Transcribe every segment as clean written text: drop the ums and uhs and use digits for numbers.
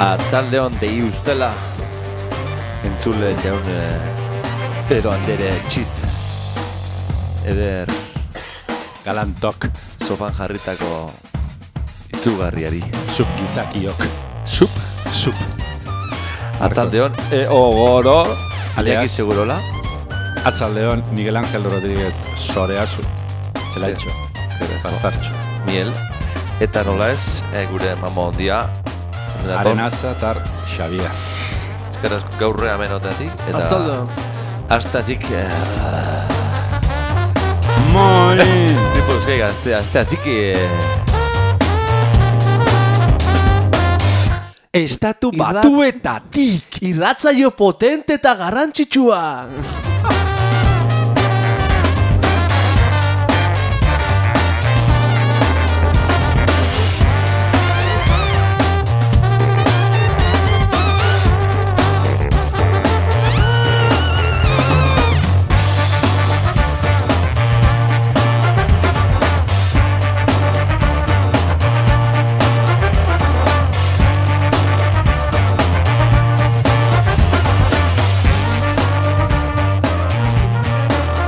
Atzaldeon dei ustela entzule jaun Pedro Andere txit eder galantok sofan jarritako izugarriari sup gizakiok sup Atzaldeon ogoro Aliaki Alias. segurola Atzaldeon Miguel Ángel Rodríguez Soreazu Zelaitxo Bastartxo miel eta nola ez gure mama ondia Arenaza tar Xavier eskeraz gaurre amenotatik eta Atzaldeon Astazik Moi tipo eskaiga así que Estatu batuetatik irratsaio potente eta garrantzitsua.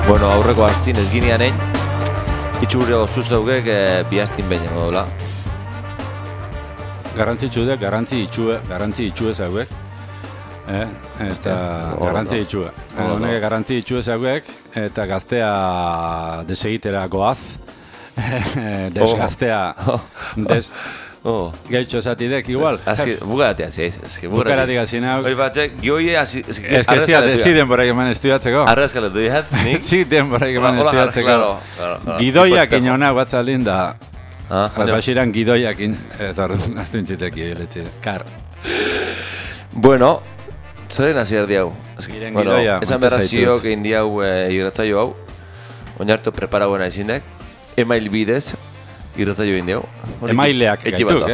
Bueno, aurreko astin ez ginean egin itxure oso zeugek bi astin behin dola. Garrantzi itxue zauek eta garrantzi itxue honek garrantzi itxue zauek eta gaztea desegitera goaz desgaztea Gaitxo zatidek igual. Bugaratea, ez que bugaratik hasi nau. Hori batzek, gioie hasi... Ez que ez denborak eman estudiatzeko. Arrezkaletu dihat, nik? Denborak eman estudiatzeko. Gidoiak inona batzaldin da. Basiran gidoiak eta aztu intziteki. Kar. Bueno, zaren hasi erdi hau. Gidoia. Esan berra ziok egin di hau irratzaio hau. Oinartu preparauena izindek. Email bidez. Irratzaio egin diau. Emaileak gaituk,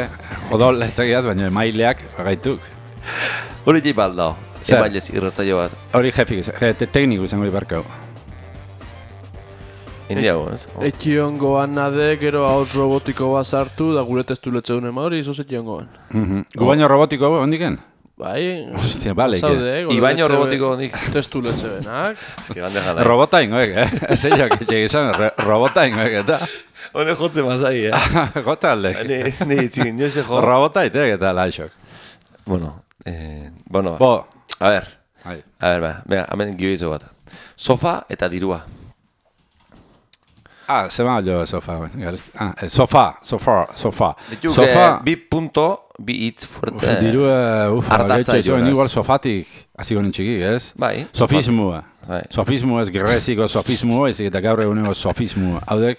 Odol ez egiat, baina emaileak gaituk. Hori jai baldao, emailez irratzaio bat. Hori jefik, tekniku izango ibarkau. Indiago, ez? Etxiongoan nade, gero haus robotiko bat sartu, da gure testu letzeun ema hori, izo etxiongoan. Gu baino robotiko hondiken? Bai, hostia, bale, Ibaino robotiko hondik. Testu letze benak. Robota ingoek, Ez eiok, etxegizan, robota ingoek, eta... Hone jotze mazai, Jota aldek. Ni itzin, nio ze jo. Robota itek eta laixok. Bueno, Bo. A ver, venga, hemen gioizo bat. Sofa eta dirua. Zema jo sofa. Sofa. Bi hitz fuerte. Dirua, ardatza igual sofatik, hasi gonen txikik, ez? Bai. Sofismua. Sofismua ez greziko sofismua, ez eta gaur eguneko sofismua. Haudek,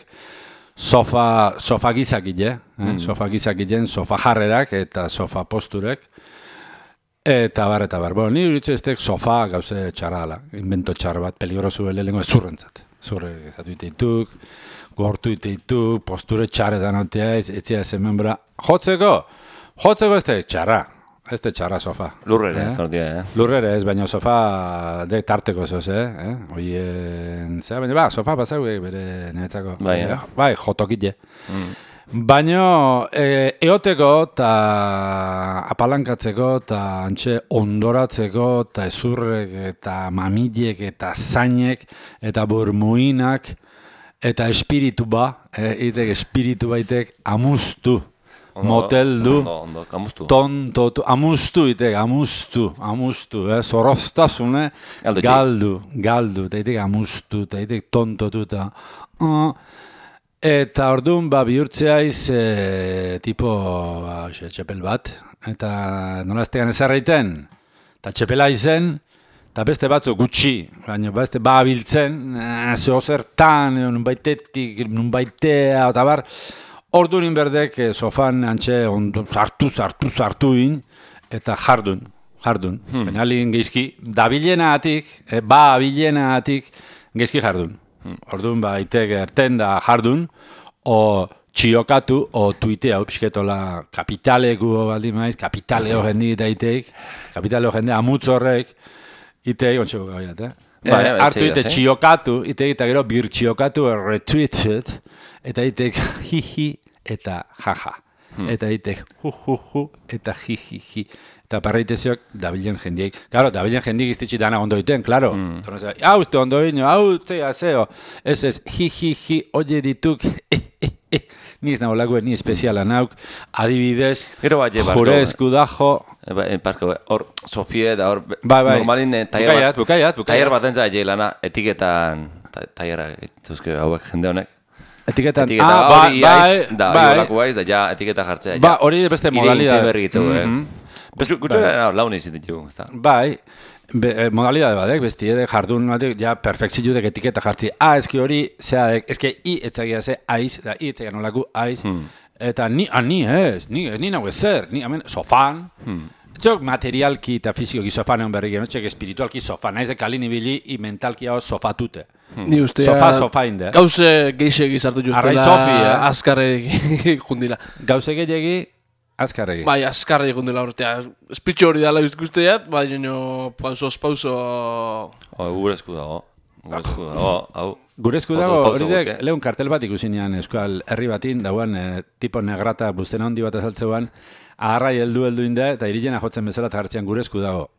sofa gizakile, sofa gizakilen, sofa jarrerak eta sofa posturek. Eta bar. Bueno, ni uritzu eztek sofa gauze txarrala, invento txar bat, peligrosu lehenko ezurrentzat. Zurre ezatu iteituk, gortu iteituk, posture txarretan autea, ez ez membra. Jotzeko ez txarra. Ez txarra sofa. Lurrere ez, ordia, Lurrere ez, baina sofa de tarteko zoz, Oien, baina sofa pasau bere niretzako. Bai, jotokite. Baina eoteko eta apalankatzeko eta antxe ondoratzeko eta ezurrek eta mamilek eta zainek eta burmuinak eta espiritu espiritu baitek amustu. Moteldu, tontotu, amustu, zorroztasune, galdu, eta itek amustu, eta itek tontotu, eta orduan, bihurtzeaiz, tipo, txepel bat, eta nola eztegan ezarreiten, eta txepela izen, eta beste batzu gutxi, baina beste babiltzen, zehozertan, nunbaitetik, nunbaitea, eta bar, orduan inberdek sofan antxe sartu in, eta jardun. Baina alin geizki, dabilenatik, babilenatik, geizki jardun. Orduan itek erten da jardun, o txiokatu, o tuitea, pixketola kapitaleko baldin maiz, kapitaleo jendi eta itek, kapitaleo jende amutz horrek, itek, ontxeko gaiat, hartu ite txiokatu, itek eta gero bir txiokatu retweeted, eta itek hihi eta jaja. eta itek hu, eta ji. Eta parreiteziok dabilen jendiek. Claro, dabilen jendiek iztitsi dana ondo iten, claro. Hau uste ondo ino, hau zea zeo. Ez, ji, oie dituk, Ni ez nago ni espeziala nauk, adibidez, jure eskudajo. Hor, Sofie da hor, bai. Normalin Bukaiat. Taier bat entza lana, etiketan, taiera, zuzke hauek jende honek. Etiketan, hori iaiz, da hori aiz, da ja etiketa jartzea. Ba, hori beste modalidad. Ire berri gitzu, Gutxo laun izin ditugu, ez da. Bai, modalidade badek, besti edek jardun batek, ja perfekziudek etiketa jartzi. Eski hori, zeadek, eski i etzagia ze aiz, da i etzagia nolaku aiz, eta ni nago ezer, ni hemen sofan, txok materialki eta fizikoki sofan egon berrik, txek espiritualki sofan, naiz de kalin ibili, i mentalki hau sofatute. Ni ustea... Sofa inde. Gauze geixegi sartu justela, azkarregi jundila. Gauze gehiagi, azkarregi. Bai, azkarregi jundila urtea. Espitxo hori dala guzteat, bai, pauso... Gure esku dago. Hau. Gure esku dago, hori dek, lehun kartel bat ikusinean eskual herri batin, dauan, tipo negrata buztena hondi bat azaltzeuan, agarrai heldu inde, eta irilena jotzen bezala eta hartzean gure esku dago.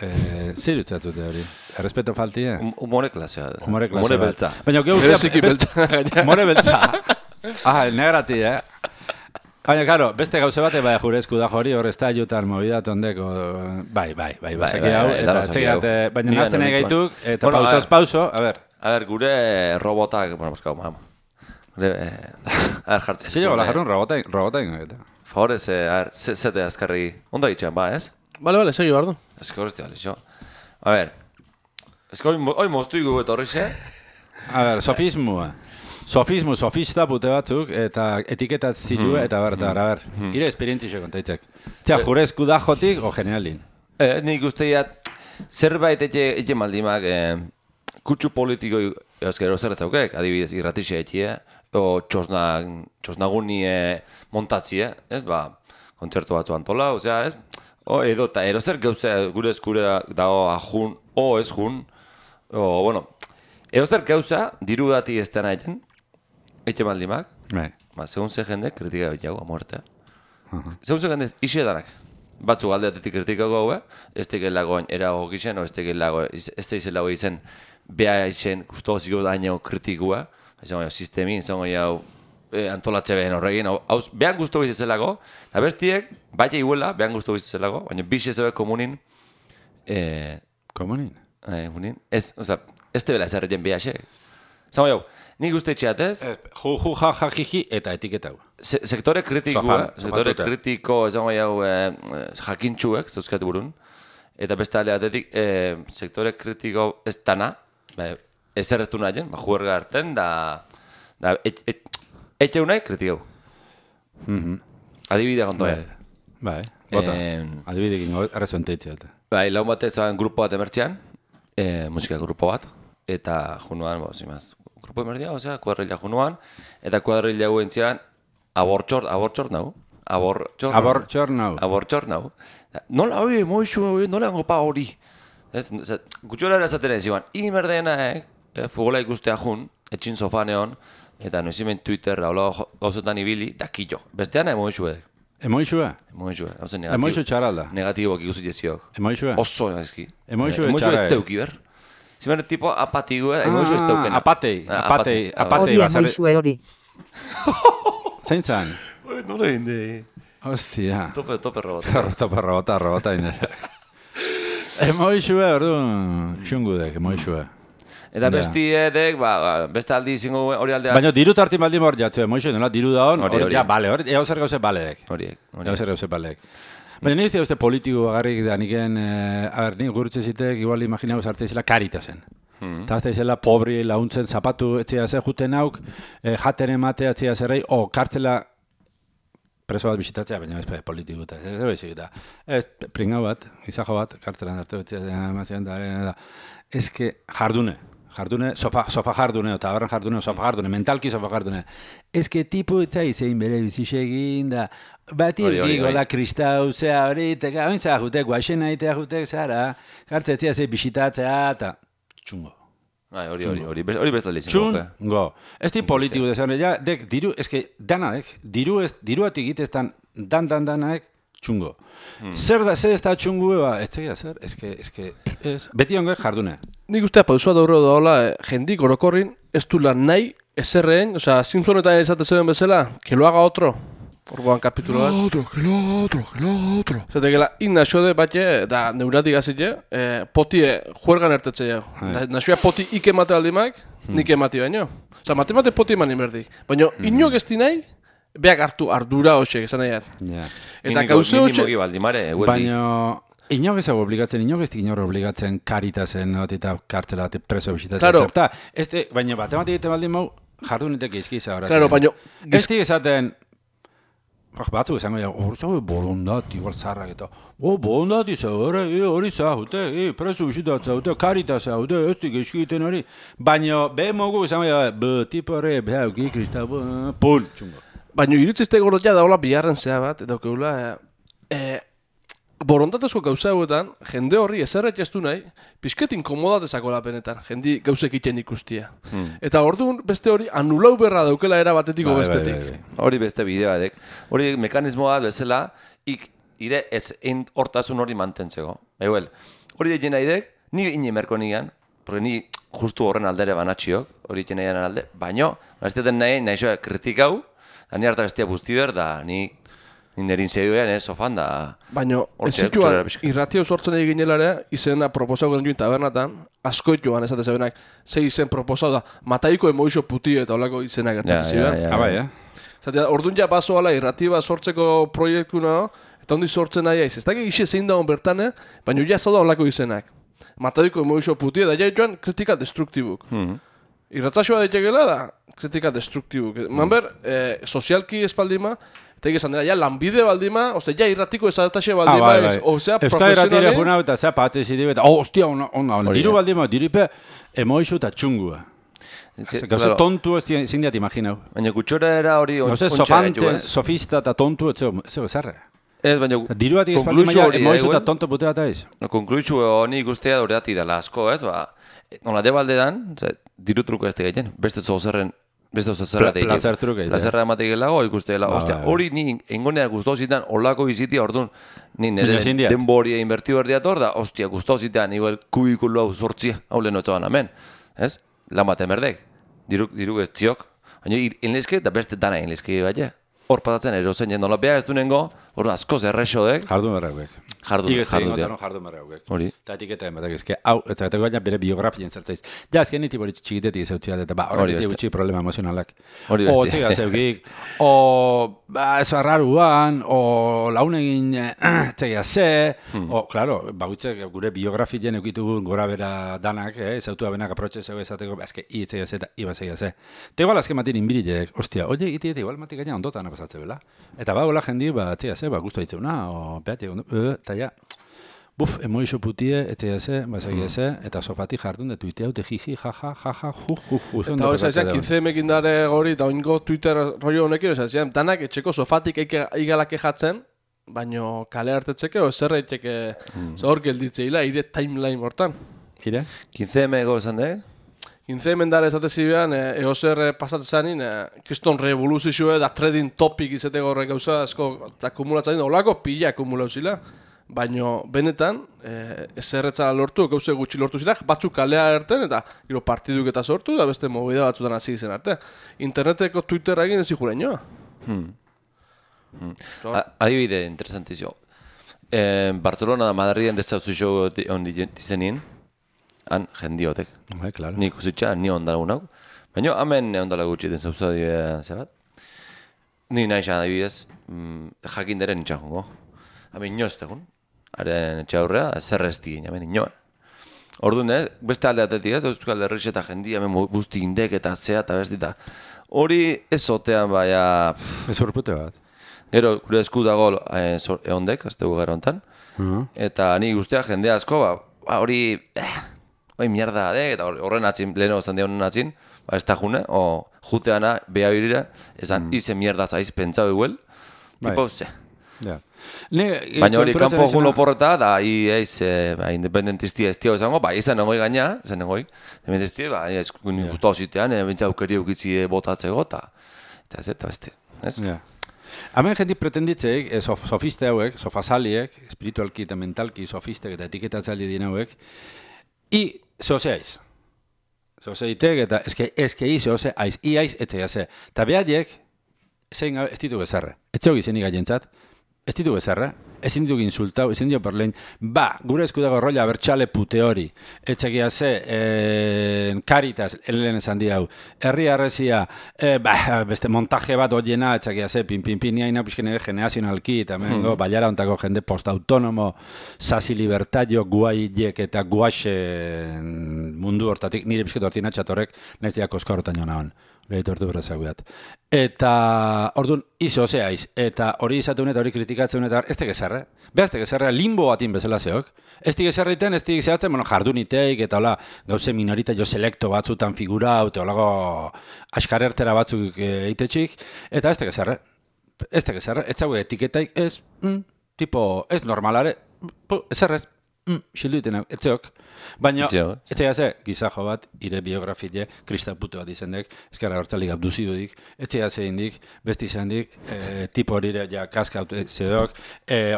Zer utzatzute hori? Errespeto falti, Humore klasea. Humore beltza. Baina, humore beltza. Negrati, Baina, karo, beste gauze bate, bai, jure esku da hori, hor ez da jutan mobidat ondeko, bai, bazaki hau, eta txegat, baina nazten egaituk, eta pauso, a ver. Gure robotak, bueno, baskau, gure, jartzen. Ez dugu, lajarun robotain, eta. Favorez, zete azkarri, ondo egitxean, ba, ez? Bale, segi bardo. Ez que horrezti, bale, xo. A ver, ez que hoi moztu igu eta horrexe. A ver, sofista pute batzuk, eta etiketat zilu, eta ber, ire esperientzio kontaitzek. Txea, jure eskudajotik, o generalin? Nik usteiat, zerbait etxe maldimak, kutsu politiko euskero zerretzaukek, adibidez, irratixe etxie, o txosnaguni montatzie, ez, ba, kontzertu batzu antola, osea, ez, edo zer gauze gure eskure dago ajun, ez jun, bueno, edo zer gauza, diru dati ez dena egin, etxe maldimak, segun ze jende, kritika jago, muertea. Segun ze jende, isi edanak. Batzu aldeatetik kritikako hau, ez tekel lagoen erago gixen, ez tekel lago, ez tekel lago izen, beha izen, guztu ziko daño kritikua, izango jau, sistemi, izango jau, antolatze behen horregin, behan guztu gizetzelako, eta bestiek, baita iguela, behan guztu gizetzelako, baina bixe zebe komunin, komunin? Ez tebela ez erretzen behaxe. Izango jau, nik uste etxeatez, jiji eta etiketau. Sektore kritiko, izango jau, jakintxuek, zauzkat burun, eta beste aldeatetik, sektore kritiko ez dana, ez erretu nahien, juerga harten, da etxe unai kritikau. Adibidea kontoa. Bai, bota. Adibidekin arrezoen teitzea. Bai, laun bat ezan grupo bat emertzean, musika grupo bat, eta junuan, grupo emerdia, osea, kuadrilla junuan, eta kuadrilla guentzean, abortxor nau. Abortxor nau. Nola hori, moixu, nola hango pa hori. Gutxora erazaten ez ziban, imerdena, fugola ikustea jun, etxin sofaneon, eta noizimen Twitter, gauzetan ibili, dakillo. Bestean emoixuek. Emoixue? Emoixue. Emoixue txaralda. Negatiboak ikusi jeziok. Emoixue? Oso egizki. Emoixue txarra. Emoixue ez teuki, ber? Zimen tipo apatigu, emoixue ez teukena. Apatei. Hori emoixue hori. Zein zan? Nola inde. Hostia. Tope robota. Robota inde. Emoixue, orduan, xungudek, emoixue. Eta besti edek, beste aldi izango hori aldea... Baina diru tartin baldin hor jatzu, emoixue, nola, diru da hon, hori, eo zer gauze baledek. Horiek. Baina nire uste politiko agarrik da niken, nik gurutze zitek, igual imaginau zartzea izela karitazen. Eta azta izela pobri launtzen zapatu etzia ze juten hauk, jaten ematea etzia zerrei, kartzela preso bat bisitatzea, baina ez politiko eta ez bezik eta. Ez pringau bat, izajo bat, kartzelan arte etzia emazian da. Ez que jardune, sofa jardune, eta abarran jardune, mentalki sofa jardune. Ez que tipu etza izein bere bizisegin da, bati egigola kristau, zea hori, eta ointza jutek, guaxen aitea jutek, zara, kartzetzia ze bisitatzea, eta txungo. Hori bestalde izan. Txungo. Ez di politiko desan, ja, dek, diru, eske, danaek, diruatik egiteztan, danaek, txungo. Zer ez da txungu, ez zegia zer, eske, beti ongo jardune. Nik ustea pausua dauro daola, jendik orokorrin, ez du lan nahi, ezerreen, osea, Simpsonetan esate zeben bezala, que lo haga otro. Orgoan kapitulo bat. Que lo haga otro. Zatekela, naxode batxe, da neuratik azite, potie juergan ertetze jau. Naxoa poti ike mate aldimak, nik emati baino. Osa, mate poti eman inberdik. Baina, inok ez di nahi, beak hartu ardura hoxek, esan nahiat. Eta gauze hoxek... Baina, inok ez dago obligatzen, inok ez dik inor obligatzen karitazen, eta kartela, preso bisitatzen zerta. Baina, batematik egiten baldin mau, jardunetek izkiza horatzen. Claro, baina... Ez dik esaten... Batzuk esango ja, hori bolondati, igual zarrak eta bolondati zaure, hori zahute, preso bisitatzen zaute, karitas zaute, ez dik eskiten hori. Baina, behin mogu esango ja, tipo horre, behauki, kristau, pun, txungo. Baina, irutzizte gordotia daola biharren zea bat, eta okeula, borondatezko gauza hauetan, jende horri ezerret jaztu nahi, pixket inkomodatezako lapenetan, jendi gauzek iten ikustia. Eta orduan beste hori anulau berra daukela era batetiko bestetik. Hori beste bidea edek. Hori mekanismoa bezala, ire ez hortasun hori mantentzeko. Hori egin nahi dek, ni inemerko nigan, porque ni justu horren aldere banatxiok, hori egin nahi alde, baino, ez nahi soa kritikau, da ni harta bestia busti ber, da ni nerin zeduen, sofan da... Baina, ez zituan, irratio sortzen egin ginelare, izena proposau garen joan tabernatan, askoit joan esate zebenak, ze izen proposau da, mataiko emoixo puti eta olako izena gertatzen ziren. Zatea, orduan ja basoala irratiba sortzeko proiektuna, eta ondi sortzen nahi aiz. Ez dakik isi zein dagoen bertane, baina ja zauda olako izenak. Mataiko emoixo puti, eta ja joan kritika destruktibuk. Irratzaioa daitekela da, kritika destruktibuk. Manber, sozialki espaldima, eta egizan dira, ja lanbide baldima, oste, ja irratiko ezataxe baldima, osea, profesionali... Euskal irratire juna eta zea patze zidibe, eta, ostia, ona, diru baldima, diripe, emoixo eta txungua. Gauze tontu ezin diat imaginau. Baina gutxora era hori ontsa gaitu, ez? Sofista eta tontu, ez zerre. Ez, baina... Diruatik espaldima, emoixo eta tontu putea eta ez. Konkluitzu honi guztia horreati dela asko, ez? Nola de baldean, diru truko ez tegiten, beste zozerren beste zerra teite. Plazer truke. Plazerra emateikelago ikustela. Ostia, hori ni engonea gustau zitan olako izitia, orduan ni nire denboria inbertiu erdiator da, ostia, gustau zitan, igual kubikulu hau sortzia, hau lehen otzaban amen. Ez? Lan bat emerdek. Diru ez tziok. Baina inlezke eta beste dana inlezke baina. Hor patatzen erozen jendola beha ez du nengo, hor askoz errexodek. Jardun berrauek. Jardun berrauek. Hori. Eta etiketen batak ezke, hau, eta gaina bere biografien zertzaiz. Ja, ezken niti bori txikitetik zeutzia, eta horretik gutxi problema emozionalak. Hori beste. O txiga zeukik, o ez arraruan, o launegin txegia ze, o, klaro, bagutxek gure biografien eukitugu gora bera danak, zautu abenak aprotxe zeu ezateko, ezke, txegia ze eta iba txegia ze. Eta igual azken matin inbirilek, ostia, oie, igual matik gaina ondotan apasatze bela. Eta hola jendi, txegia ze, guztu haitzeuna, o, behatik eta ja, buf, emoixo putie, etxeia ze, bazagia ze, eta sofati jardun de tuitea, ute jiji, jaja, ju. Eta hori zaizan, 15 dare gori, eta oingo Twitter rollo honekin, zaizan, danak etxeko sofatik igalak ejatzen, baino kale hartetzeke, o zer eiteke zahor gelditzeila, ire timeline hortan. Ire? 15 ego esan de? 15 dare ezatezibean, egozer pasatzen kriston revoluzioa da trading topic izateko horrek gauza asko akumulatzen dira, olako pila akumulauzila, baina benetan ezerretza lortu, gauze gutxi lortu zira, batzuk kalea erten eta gero partiduk eta sortu, da beste movida batzutan hasi zen arte. Interneteko Twitter egin ez ikuren joa. Adibide, interesantizio. Barcelona da Madriden dezauzio ondi dizenin, han jendiotek. Claro. Nik usitxa, ni ondalagunau. Baina hemen ondala gutxi den zauzua zebat. Ni nahi xan adibidez, jakin deren nintxan jongo. Hemen inoz tegun. Haren etxe aurrea, zer ez digin, hemen inoa. Orduan beste alde atetik ez, Euskal Herriz eta jendia, hemen busti indek eta zea eta bestita. Hori ez zotean baina... Ez horpute bat. Gero, gure esku dago eondek, aztegu gara hontan. Eta ni guztia jendea asko, hori... Bai mierda adek, eta horren atzin, leheno zan honen atzin, ez da june, o juteana, beha birira, esan, ize mierda zaiz pentsau eguel, tipo, ze. Baina hori, kanpo gulo porreta, da, independentisti ez tio izango, izan nengoi gaina, independentisti, eskunik guztua zitean, bentsa aukeri eukitzi botatzeko, eta beste, ez? Hemen jentik pretenditzeik, sofiste hauek, sofasaliek, espiritualki eta mentalki sofistek eta etiketatzaile dien hauek, zozeaiz. Zozeitek eta ezkei zozeaiz, iaiz etxegaze. Eta behadiek, zein gabe, ez ditu gezarre. Ez txogi zenik aientzat, ez ditu gezarre, ez ditu insultau, ez ditu perlein, gure eskudago rolla bertxale pute hori, etxegia ze, Caritas, lehen esan di hau, herri arrezia, beste montaje bat oiena, etxegia ze, pin, niaina pixken ere generazionalki, eta mengo, baiara ontako jende post-autonomo, sasi libertario, guaiek eta guaxe mundu hortatik, nire pixketu hortinatxatorrek, nahiz diak oska horretan joan hon. Eta, orduan, izo zeaiz, eta hori izateun eta hori kritikatzen eta ez tegezarre. Behazte gezarre, limbo batin bezala zeok. Ez tegezarre iten, ez tegezartzen, jarduniteik, eta hola, gauze minorita jo selekto batzutan figurau, eta holago askarertera batzuk eitetxik, eta ez tegezarre. Ez tegezarre, ez zau etiketaik, ez normalare, ez errez. Xildu iten hau, etzeok. Baina, etzegaze, gizajo bat, ire biografie, kristapute bat izendek, ezkarra hortzalik abduzidudik, etzegaze indik, besti izandik, tipo horire, ja, kaskaut zedok,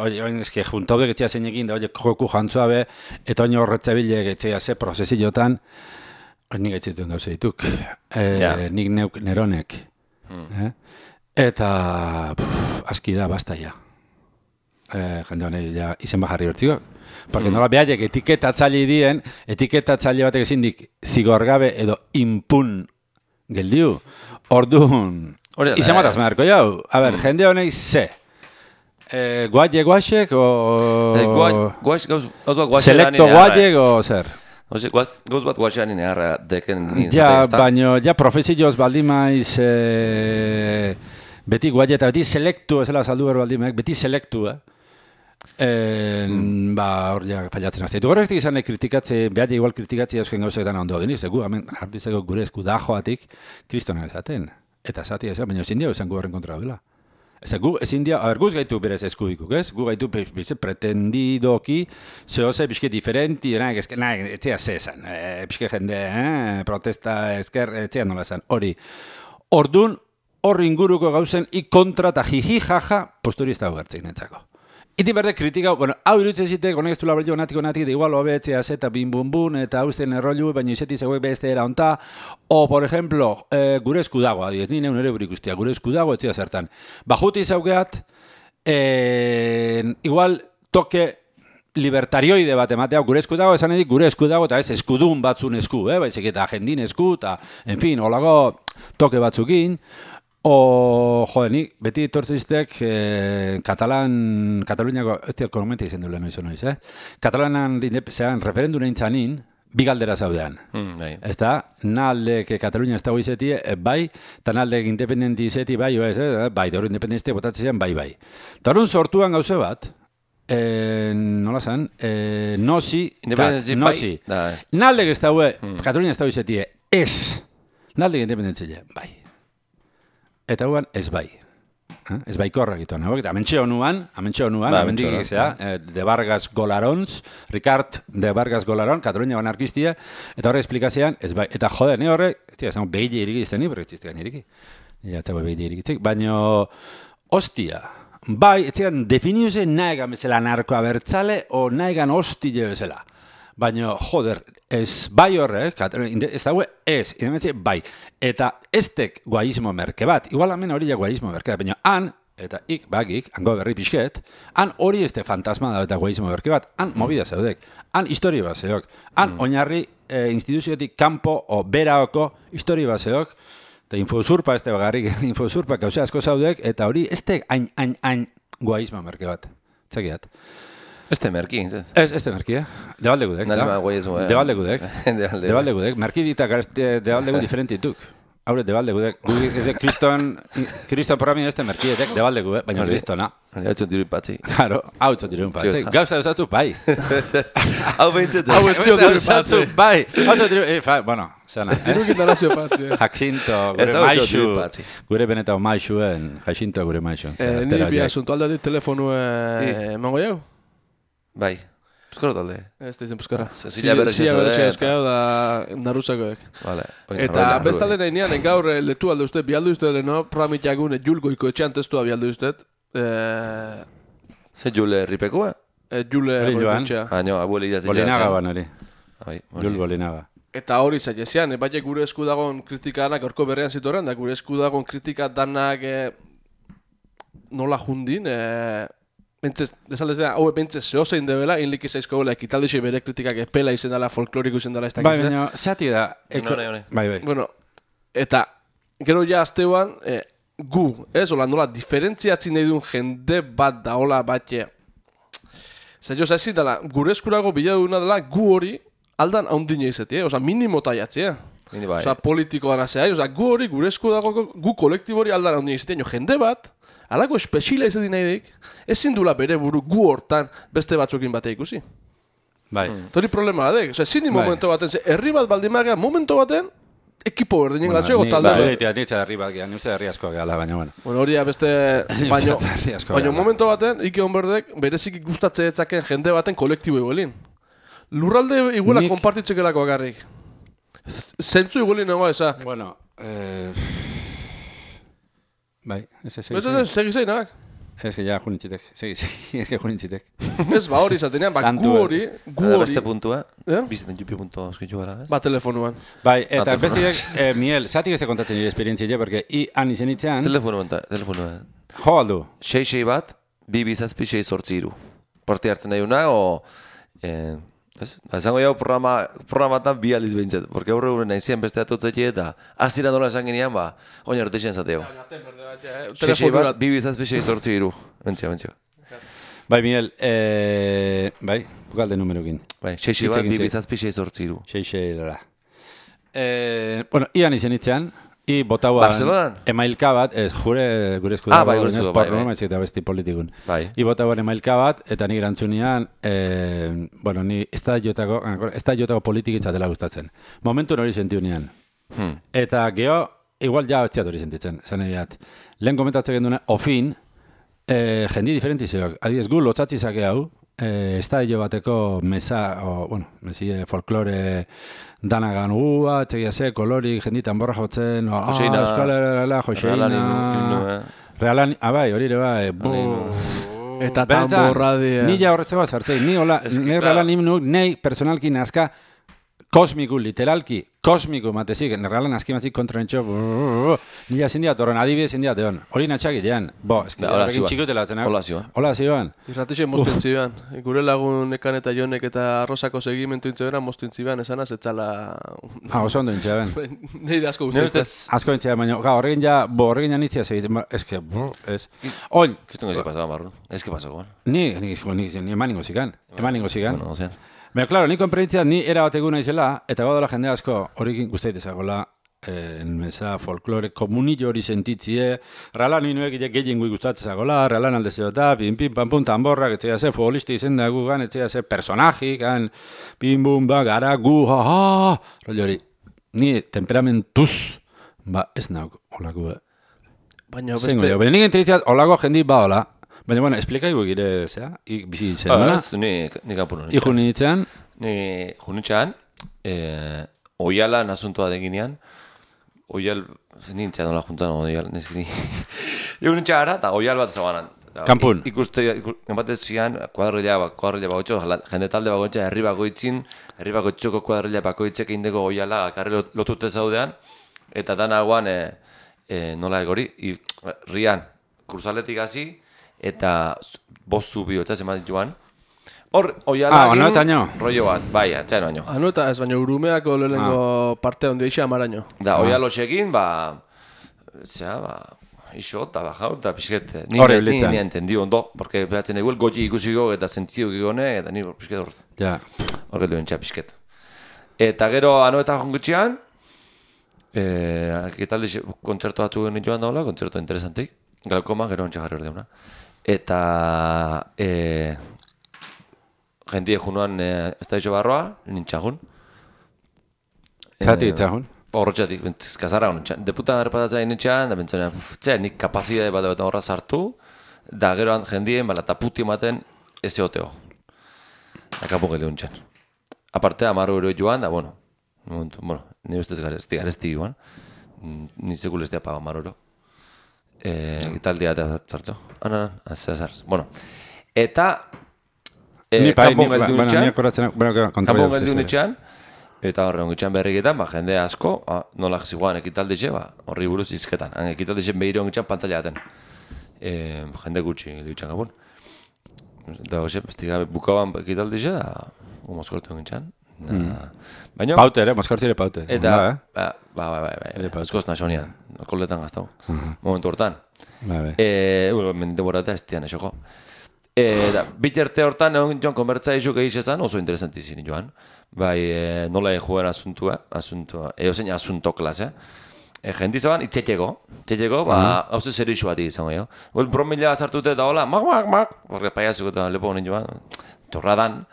oin ezke juntaudek etzegazen egin, da, joku jantzua be, eta oin horretzabilek etzegaze prozesiotan, nik aitzituen gauze dituk, nik neuk neronek. Eta, aski da, basta ja. Jende honei, ja, izen bajarri bertzikok. Porque nola behaiek etiketatzaile dien, etiketatzaile batek ezindik zigorgabe edo impun geldiu. Orduan, izan bat azmarko jau. A ber, jende honei ze? Guaiek o... Selecto guaiek o zer? Gauz bat guaxean inegarra deken nintzen. Ja, baino, ja profesioz baldimaiz beti guaiek eta beti selektu, ezela saldu behar baldimaiz, beti selektu, hor ja fallatzen azte. Horrezik izan kritikatze, behar igual kritikatze euskien gauzetan ondo deniz, hemen jartu izako gure esku dajoatik kristonak ezaten. Eta zati ezan, baina ezin dia esan gu horren kontra dela. Ezin dia, guz gaitu berez eskubikuk, ez? Gu gaitu pretendidoki, zehoze pixke diferenti, etzea zezan, pixke jende, protesta ezker, etzea nola zan, hori. Ordun, hor inguruko gauzen, kontra eta jiji jaja, posturi ez dago gertzein entzako. Itin berde kritika, hau irutzen zitek, honek ez du labrello natik, igual obetzea zeta bim-bum-bum, eta hauzten errollu, baina izeti zegoek beste era onta, o, por ejemplo, gure eskudago, adiez, nire unere burik ustia, gure eskudago etzia zertan. Bajuti zaugeat, igual toke libertarioide bat ematea, gure eskudago, esan edik gure eskudago, eta ez eskudun batzun esku, baizik eta jendin esku, eta, en fin, holago toke batzukin, nik beti etortziztek Kataluniako, ez diak konomenti izen duela noiz, Katalanan referendun egin bi galdera zaudean. Ez da, naldek Katalunia ez dago izeti, bai, eta naldek independenti izeti, bai, bai, da hori independenti botatzen bai. Eta horren sortuan gauze bat, nola zan, nosi, naldek ez dago, Katalunia ez dago izeti, ez, naldek independentzia, bai. Eta guan, ez bai. Ez bai korra egituan. Eta amentxe honuan, amendik egizea, de Vargas Golarons, Ricard de Vargas Golaron, Katalunia anarkistia, eta horre esplikazioan, ez bai. Eta jode, ne horre, ez dira, behile iriki izten ni, berre txiztegan iriki. Ja, eta behile irikitzek. Baina, ostia, bai, ez dira, definiuze nahegan bezala narkoa bertzale, o nahegan hostile bezala. Baina, joder, ez bai horrek, ez daue, ez, bai. Eta eztek guaismo merke bat, igual hemen hori ja guaismo merke bat, baina han, eta bagik, hango berri pixket, han hori ezte fantasma da eta guaismo merke bat, han movida zaudek, han histori bat zeok, han oinarri instituzioetik kanpo o beraoko histori bat zeok, eta infosurpa ezte bagarrik, infosurpa gauze asko zaudek, eta hori eztek hain guaismo merke bat, txekiat. Este merki, este merki, Debaldegudek. Debaldegudek. Debaldegudek. Merki ditak debaldegu diferentituk. haure debalde gudek. Kriston programin ez merkietek debalde gude, baina kristona. Hau txon diru patzi. Claro, hau txon diru patzi. Gauza eusatzu, bai. Hau behintzat. Hau eusatzu, bai. Hau txon diru, bueno, zena. Dirukin darazio patzi. Jacinto, gure maixu. Gure benetao maixuen, Jacinto gure maixuen. Niri bi asunto alde telefonue emango jau? Bai. Euskara talde. Ez da izan Euskara. Zila berretxe Euskara da naruzakoek. Vale. Eta bestalde nahi nian, gaur letu alde uste, bialdu uste deno, programitxakun julgoiko etxean testua bialdu uste. Ze Jule Ripekoa? Jule Ripekoa. Baina, abueli idatzen jara. Bolinaga banari. Jul Bolinaga. Eta hori zailezian, baina gure esku dagoen kritika danak orko berrean zitoren, da gure esku dagoen kritika danak nola jundin, hau pentsez zehozein debela, inlik izaizko gola, ekitaldixe bere kritikak epela izen dela, folkloriko izen dela, ez dakiz. Bai, baina, zati da. Bai. Bueno, eta gero ja azteuan, gu, ez, hola, nola, diferentziatzen nahi duen jende bat da, hola, batxe. Zer jo, zaizit dela, gure eskurago bila duguna dela, gu hori aldan haundine izati, oza, minimo taiatzi, Oza, politikoan azea, oza, gu hori, gure eskurago, gu kolektibo hori aldan haundine izati, jende bat, alako espeziala izati nahi dik, ezin dula bere buru gu hortan beste batzukin batea ikusi. Bai. Tori problema badek, oza, ezin di momento baten, herri bat baldimagea momento baten, ekipo berdinen galtzeko talde. Nitza herri bat gehan, nitza herri asko gehala, baina bueno. Bueno, hori beste, baina momento baten, Ike Onberdek, berezik gustatze etzaken jende baten kolektibo iguelin. Lurralde iguela konpartitzekelako agarrik. Zentzu iguelin nagoa eza. Bueno, bai, segi zein, nabak? Ez que ja junitzitek, ez que junitzitek. Ez, ba hori izatenean, ba gu hori. Beste puntua, biziten jupi puntua oskitxu gara, ez? Ba telefonuan. Bai, eta bestirek, Miel, zatik ez te kontatzen nire esperientzia, porque han izen itzean... Telefonuan. Jo aldu? 6 bat, 2 bizazpi 6 sortziru. Porti hartzen nahi una, o... Ez? Ezango jau programatan 2 aliz behintzat, porque aurre gure nahi zian beste atotzetxe eta azira nola esan ginean, ba, oin arteixen zateo. 6 bat, 2 bizazpi 6 sortziru. Bentzio. Bai, Miel, bai, bukalde numerokin. Bai, 6 bat, 2 bizazpi 6 sortziru. 6 lora. Bueno, ian izen itzean, I botaua emailka bat, ez gure esku dago, bai, porno, maizik eta besti politikun. I botaua emailka bat, eta ni erantzunian, bueno, ni ez da jotako politikitza dela gustatzen. Momentu hori sentiunean. Eta geho, igual ja betziat hori sentitzen, zan egiat. Lehen komentatzen genduna, ofin, jendi diferentizioak. Adiez gu, lotzatzizake hau, ez da bateko mesa, bueno, mesie folklore danagan txegia ze, kolorik, jenditan borra jotzen, euskal erala, Joseina, realan, bai, hori ere bai, eta tamborra dia. Ni ja horretzeko sartzei, ni realan nimnuk, nei personalki nazka, kosmiku, literalki, kosmiku matezik, realan azkimazik kontronetxo, ni ja zindiat horren, adibidez zindiat egon, hori natxak idean, eski, horrekin txikutela atzenak. Hola zioan. Irratixe moztu intzibean, gure lagun Ekan eta Jonek eta Arrosako segimentu intzibean, moztu intzibean, esanaz, etxala... oso ondo intzibean. Nei da asko guztu. Asko intzibean, baina, horrekin ja nizia segitzen, eske, ez. Oin! Kistungo ezi pasaba, Marrun, ezke pasako. Ni eman ningo zikan. Baina, klaro, ni konperintzia ni era bat eguna izela, eta gaudela jende asko horikin guztaitezagola, mesa folklore komunillo hori sentitzie, ralan minuek gehien gui gustatzezagola, ralan alde zeota, pim, pam, pum, tamborrak, etzea ze, futbolisti izen da gu gan, etzea ze, personaji gan, pim, bum, ba, gara, gu, ha, rollo hori, ni temperamentuz, ez nauk, holako, baina beste... Baina nik entzitzat, holako jendi ba, hola. Baina, bueno, esplikai gire, zera, bizi zen, bera? Ni kapuro nintzen. Iku nintzen? Ni junitxean, oiala nasuntua deginean, oial, nintzen nola juntan, oial, neskini. Iku nintzen gara, eta oial bat zabanan. Kampun? Ikuste, enbatez zian, kuadrilla bakoitxo, jende talde bakoitxo, herri bakoitxoko kuadrilla bakoitzek indeko oiala, karri lotute zaudean, eta danagoan, nola egori, rian, kursaletik hasi, eta bost zubi hotza zeman dituan. Hor, oiala egin, rollo bat, bai, atxaino baino. Eta ez baino urumeako lehenengo parte ondia ixa amaraino. Da, oialo txekin, iso, eta bajau, eta pixket, ni entendio ondo, porque behatzen eguel goti ikusiko eta sentidu gigone, eta ni pixket hor. Horret duen txea pixket. Eta gero, anoetan jongutxean, Ekitaldi kontzertu batzu geni joan daula, kontzertu interesantik. Galkoma, gero ontsa jarri ordeuna. Eta jendie junuan ez da iso barroa, nintxagun. Zati itzagun? Horretxatik, kazara honen. Deputan errepatatzen nintxan, da bentzaren, nik kapazidade bat horra sartu, da geroan jendien, eta puti ematen ez eoteo. Akapu gele honen. Aparte, amaru ero joan, da, ni ustez garezti joan. Ni sekul ez diapa amaru ero. Italdea eta zartzo. Bueno, eta kanpon geldi unitxan, eta horre ongitxan berriketan, jende asko, nola ziguan ekitaldixe, horri buruz izketan. Ekitaldixe behire ongitxan pantalla daten. Jende gutxi ditxan gabun. Eta bukaban ekitaldixe, mozkortu ongitxan. Paute ere, mozkortzi ere paute. Eta, askoz nasonian, alkoholetan gaztau. Momentu hortan. Mende borata ez dian esoko. Biterte hortan, joan konbertza izuk egizezan, oso interesantizin joan. Bai, nola joan asuntua, eozein asunto klase. Jendizaban, itxetxeko, hauze zerixu bat izango jo. Bromila sartute eta hola, mak, horre paiazuko eta lepo honen joan, torradan.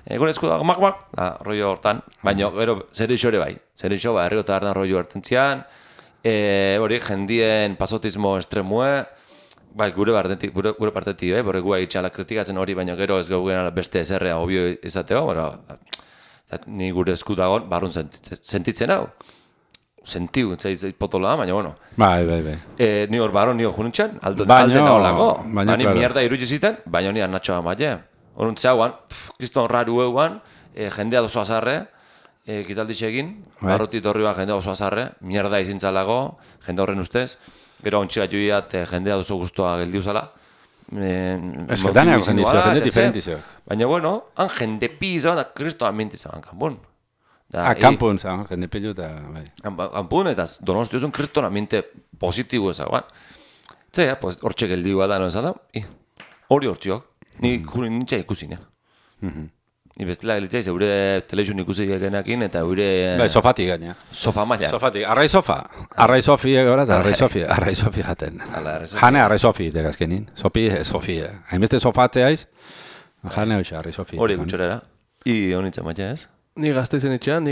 Gure esku da, mak, rollo hortan, baina gero zerixo ere bai. Zerixo, herriko eta hartan rollo hartentzian, hori jendien pasotismo estremue, bai, gure partetik, borre guai itxala kritikatzen hori, baina gero ez gaugen beste ezerrea obio izateo, ni gure esku dagoen, barrun sentitzen hau. Sentiu, zait potola, baina, bueno. Bai. Ni hor barron, ni hor junintzen, alde naholako. Bani mierda iruditzen ziten, baina ni anatxoa maile. Horun zauan, kriston raru euan, jendea dozo azarre, kitalditxe egin, barrotit horri bat jendea oso azarre, mierda izintzalago, jende horren ustez, gero ontsi bat joiat jendea dozo guztua geldiuzala. Eskertaneak jendizio, jende diferentizio. Baina, bueno, han jende pizan, da kriston amintizan, kanpun. Kampun, jende pilu eta... Kampun, eta donostiozun kriston aminte positibo ezagoan. Zea, hortxe geldiua da, no ezan da, hori hortziok. Ni nintzen ikusinean. Ni bestela gelitzea, zeure telezun ikusi genekin, eta eure... Sofatik gaina. Sofa maila. Sofatik, arrai sofa. Arrai sofi egora eta arrai sofi jaten. Jane arrai sofi tegazkenin. Sofi. Hainbeste sofatzeaiz, jane hoxe arrai sofi. Hori gutxorera. I honitzen maia ez? Ni gazteizen itxean,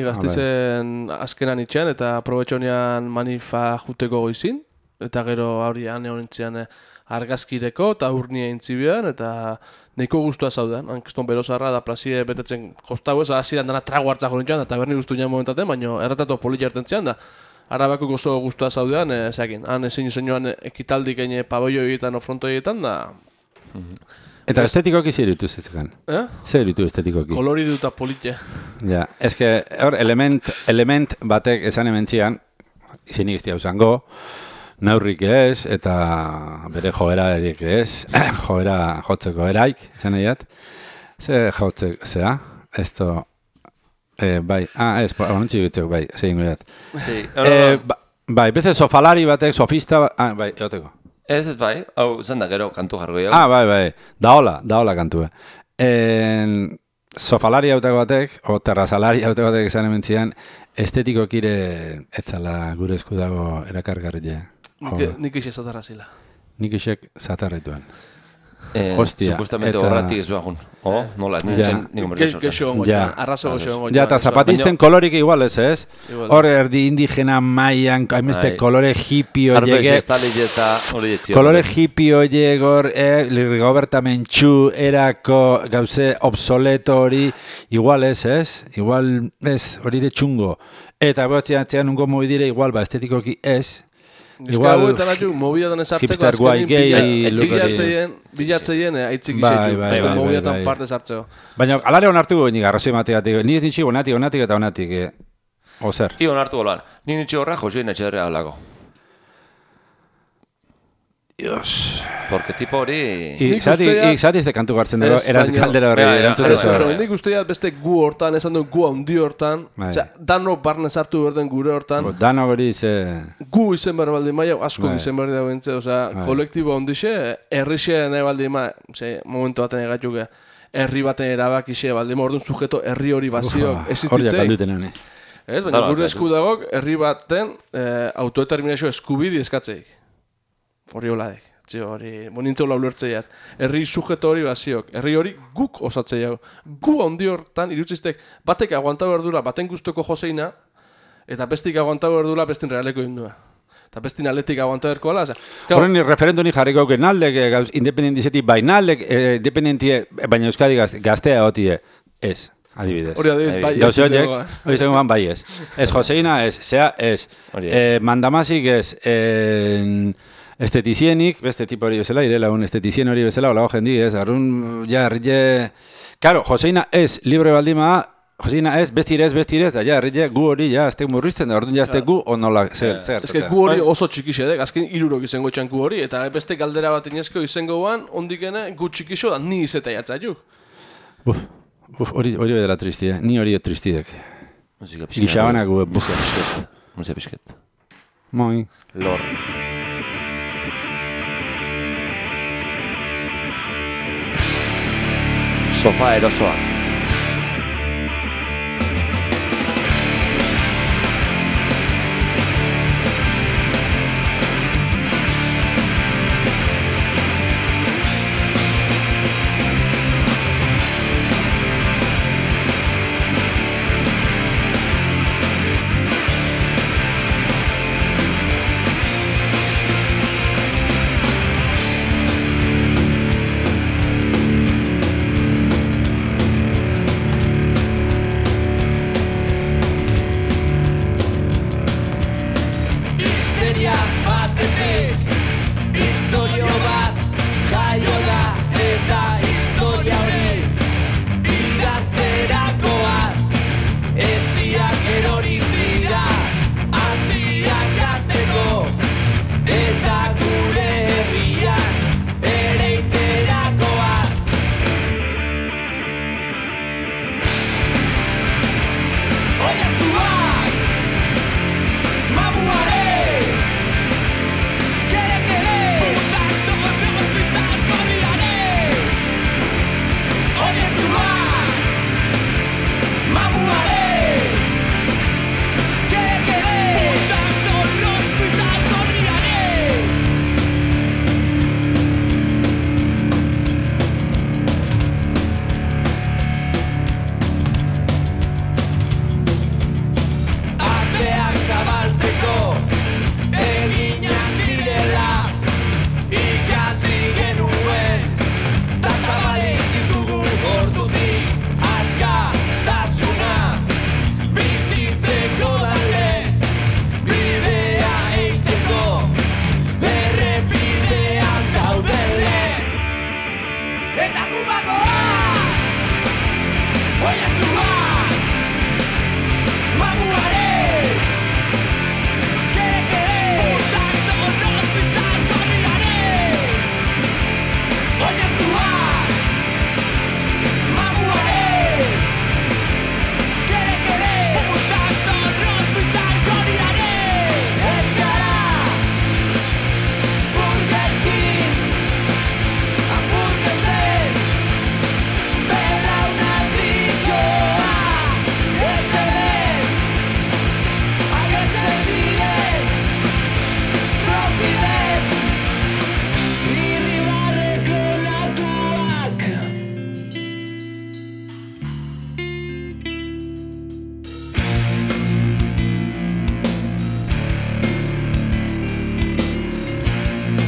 azkenan itxean, eta aprobetxonean manifa juteko goizin. Eta gero hori honitzean argazkireko eta urnia intzibian, eta nahiko guztua zaudean. Hankiston berozarra da plazie betetzen kostau ez, hasieran dana trago hartzak honitzean, eta berni guztu nian momentaten, baina erratatu politi hartentzean da. Arabako gozo guztua zaudean, zeakin. Han ezin joan ekitaldik egin paboio egiten o fronto egiten da. Eta estetikoki zer ditu zezekan? Zer ditu estetikoki? Koloridu eta politia. Ja, eske hor element batek esan hementzian, izenik ez diauzango, neurrik ez, eta bere joera erik ez, joera jotzeko eraik, esan egiat. Ze jotzeko, zea? Esto, bai, ez, honuntzi bitzeko, bai, zein goiat. Bai, beste sofalari batek, sofista, bai, egoteko. Ez bai, hau zen da gero kantu jargo jau. Bai, daola kantue. Sofalari hauteko batek, o terrazalari hauteko batek esan hementzian, estetiko kire etzala gure esku dago erakargarria. Nik isek zatarra zila. Nik isek zatarrituan. Hostia. Supostamente horratik ez duagun. Nola, niko merketxo. Gexo ongo, arrazo goxo ongo. Ja, eta zapatisten kolorik igual ez? Hor erdi indigena maian, haimeste kolore hippie oiege. Kolore hippie oiegor, Rigoberta Menchú, erako gauze obsoleto hori, igual ez? Igual ez, hori ere txungo. Eta behatzean ungo mobidire igual, estetikoki ez. Igual mobiatan esartzeko azkenin bilatzeien aitzik izetu. Beste mobiatan parte sartzeko. Baina alare onartu guen arrazoi mategatik. Ni ez nintxik onatik eta onatik. Ozer? I onartu golan. Ni nintxik horra Josein Etxerrea hablago. Dios. Porque tipo hori... Zati ez de kantu gartzen dugu, kaldera horri erantzutez hori. Nik usteak beste gu hortan, esan dugu gu handi hortan, dano barne sartu berden gure hortan. Dano hori ze... Gu izen behar baldi maia, asko izen behar da bentze, kolektibo handixe, herrixe nahi baldi maia, momentu baten egatxuke, herri baten erabakixe baldi maia, orduan sujeto herri hori bazio existitzei. Hori jakalduten honi. Ez, baina gure eskudagok herri baten autodeterminazio eskubide eskatzeik. Hori holadek. Hori, bonintzeula ulertzeiat. Herri sujeto hori basiok. Herri hori guk osatzeiago. Gu handi hortan, irutziztek, batek aguanta berdura, baten guztoko joseina, eta bestik aguanta berdura, bestin realeko indua. Eta bestin aletik aguanta berko ala. Horren referendoni jarriko auken naldek, independendizetik bainaldek, independentie, baina Euskadi gaztea gotie. Ez, adibidez. Hori adibidez, bai ez. Hori zegoen bai ez. Ez Joseina ez, zea ez. Mandamasik ez, estetizienik, beste tipo hori bezala, irela un estetizien hori bezala, hola hojen ez, arrun, ja, herrile... Karo, Joseina ez, libre baldima, Joseina ez, bestirez, da, ja, herrile, gu hori, ja, aztek murrizten da, orduan ja, aztek gu, onola, zer. Ez que gu hori oso txikixe, azken 3 izango txan gu hori, eta beste galdera bat inezko izango guan, ondikene, gu txikixo da, ni izeta jatzaiuk. Hori bedela tristi, ni hori tristidek. Gixabanak gu, Musika pixket. Moi. Lor. Sofá erosoak.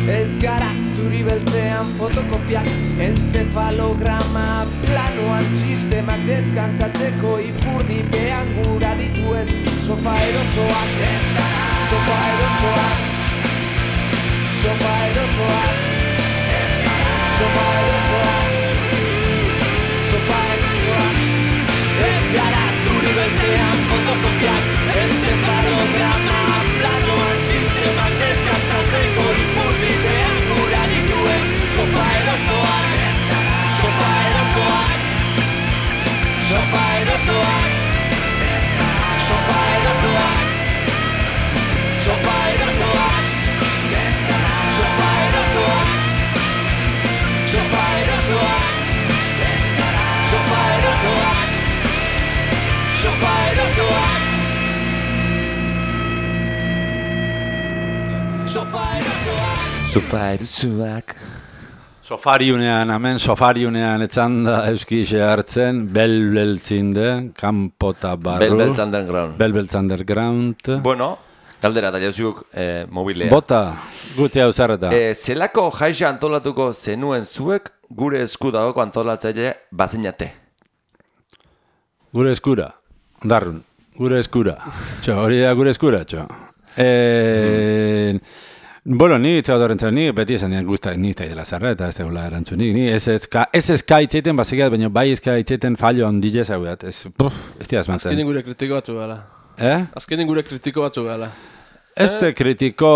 Ez gara zuri beltzean fotokopiak, encefalograma planoan sistemak deskantzatzeko ipurdipean gura dituen sofa erosoak. Sofa erosoak. Sofa erosoak. Sofa erosoak. Sofa erosoak. Ez gara zuri beltzean fotokopiak, encefalograma planoan sistemak deskantzatzeko ipurdipean gura dituen sofa erosoak. Sofa erosoak. Sofa erosoak. Sofa erosoak. Sofa erosoak. Sofa erosoak. Sofa erosoak. Sofa erosoak. Sofa erosoak. Sofairuzuak. Sofariunean, hemen sofariunean etzan da euskixe hartzen, belbeltzinde, kanpota barru. Belbeltz underground. Bueno, galdera da jauzuk mobilea. Bota, gutzi hau zarreta. Zelako jaixa antolatuko zenuen zuek gure esku dagoko antolatzaile bazinate? Gure eskura, ondarrun, gure eskura. Hori da gure eskura, Bueno, ni itzaudorrentzen, ni beti esan nian guztak ni eta dela zarra, eta ez tegula erantzunik. Ni ez ezka itzaiten bazikat, baina bai ezka itzaiten fallo ondile zaugat. Ez diaz mantzen. Azkenin gure kritiko batzu gala. Azkenin gure kritiko batzu gala. Ez kritiko...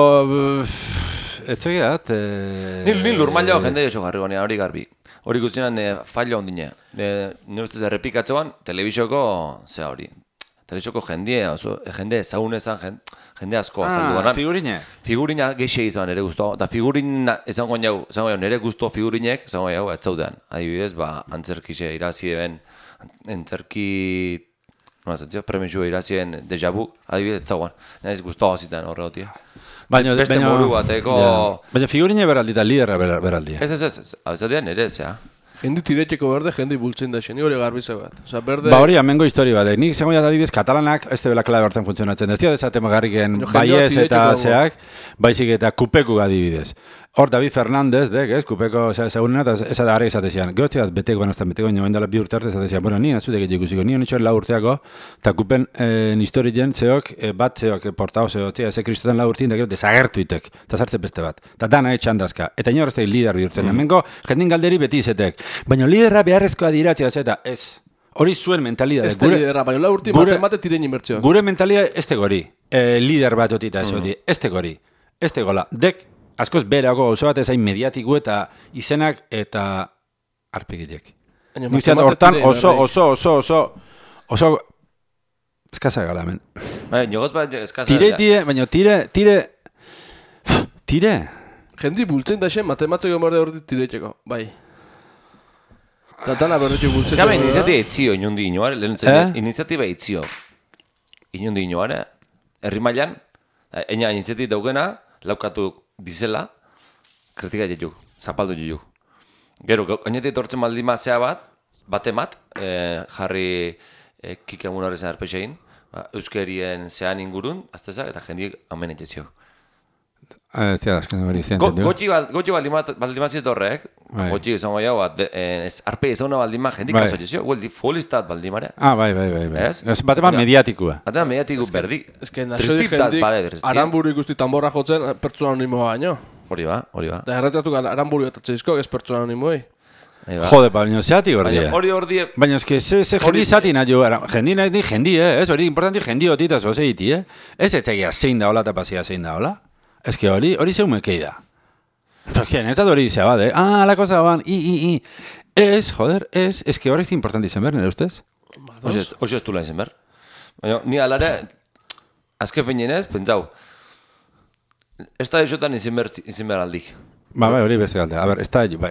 Ez tegiat... Ni lurmaila jende jo jarri gonea, hori garbi. Hori guztian fallo ondine. Nire ustez errepikatzoan, telebizoko, zea hori. Telebizoko jende ezagunezan, jende asko azaldu banan. Figurina geixe izan nire guztu. Da figurina esango jau, nire guztu figurinek, esango jau, ez zaudean. Adibidez, antzerkixe irazien, antzerki... Premio irazien deja vu, adibidez, ez zauan. Nire guztu zitan horregotia. Beste moru bateko... Baina figurine beraldi eta liderra beraldi. Ez, abezadean nire ez, ja. Hendi tiretxeko berde, jendi bultzen da xen, hori garbize bat. Hori, amengo histori bat. Nik zegoen adibidez, katalanak ez debela klabe hartzen funtzionatzen. Ez dira desatema garriken baiez eta zeak, baizik eta kupeku adibidez. Hor, David Fernández, kupeko zegoenena, eta ez da gara izatezian. Gehotzi bat beteko nioen dela 2 urte arte izatezian. Bueno, ni azudek egikusiko, ni honitxoen 4 urteako, eta kupen historien zeok, bat zeok, portao zeok, ez kristoten 4 urtein, da gero desagertu itek, eta zartze beste bat. Eta dana etxandazka. Eta inor ez da lider bihurtzen. Hemengo, jendin galderi beti izetek. Baina liderra beharrezkoa diratzea zeta, ez. Hori zuen mentalidad. Ez da liderra, baina 4 urtein mate tirein inbertzioak. Gure mentalidad ez tegori. Lider bat otita ez hori. Ez tegori. Ez tegola. Dek, askoz berako oso bat ezain mediatiku eta izenak eta arpegilek. Nuztiat hortan oso eskasa gala, men. Baina tire. Jendi bultzen da xen, matematzeko morde hori tiretxeko, bai. Tatana berretxo bultzen. Eskaba iniziatiba itzio, inundi inoare, iniziatiba itzio. Inundi inoare, herri mailan, eina iniziatiba daugena, laukatu dizela, kritika jetu, zapaldu jetu. Gero, oinetik tortzen maldima zea batemat, jarri kikemun horrezen arpexein, euskerien zean ingurun, aztezak, eta jendiek hamen etxezio. Gotxi baldimazit horrek, gotxi izango jau, arpe izan baldima jendik kaso jezio, hueldi folistat baldimare. Bai. Batemat mediatikua. Batemat mediatiku berdi. Ez que naso di jendik, aranburu ikusti tambora jotzen, pertsona anonimoa baino. Hori ba. Da erretatu aranburu eta txezizko, ez pertsona anonimoei. Jode, baina zeati gordia. Hori... Baina ez que ze jendi zati nahi jo, jendi, ez hori importanti jendi otita zoze iti, ez etzegia zein da hola eta pasia zein da hola. Ez que hori zeumekei da. Porque netzat hori dizea bat, la cosa ban, Ez, joder, ez que hori ez importanti izan behar, nire ustez? Oso ez dula izan behar. Baina, ni alare, azke feinenez, pentsau, ez da esotan izan behar aldik. Bai, hori beste galde. A ber,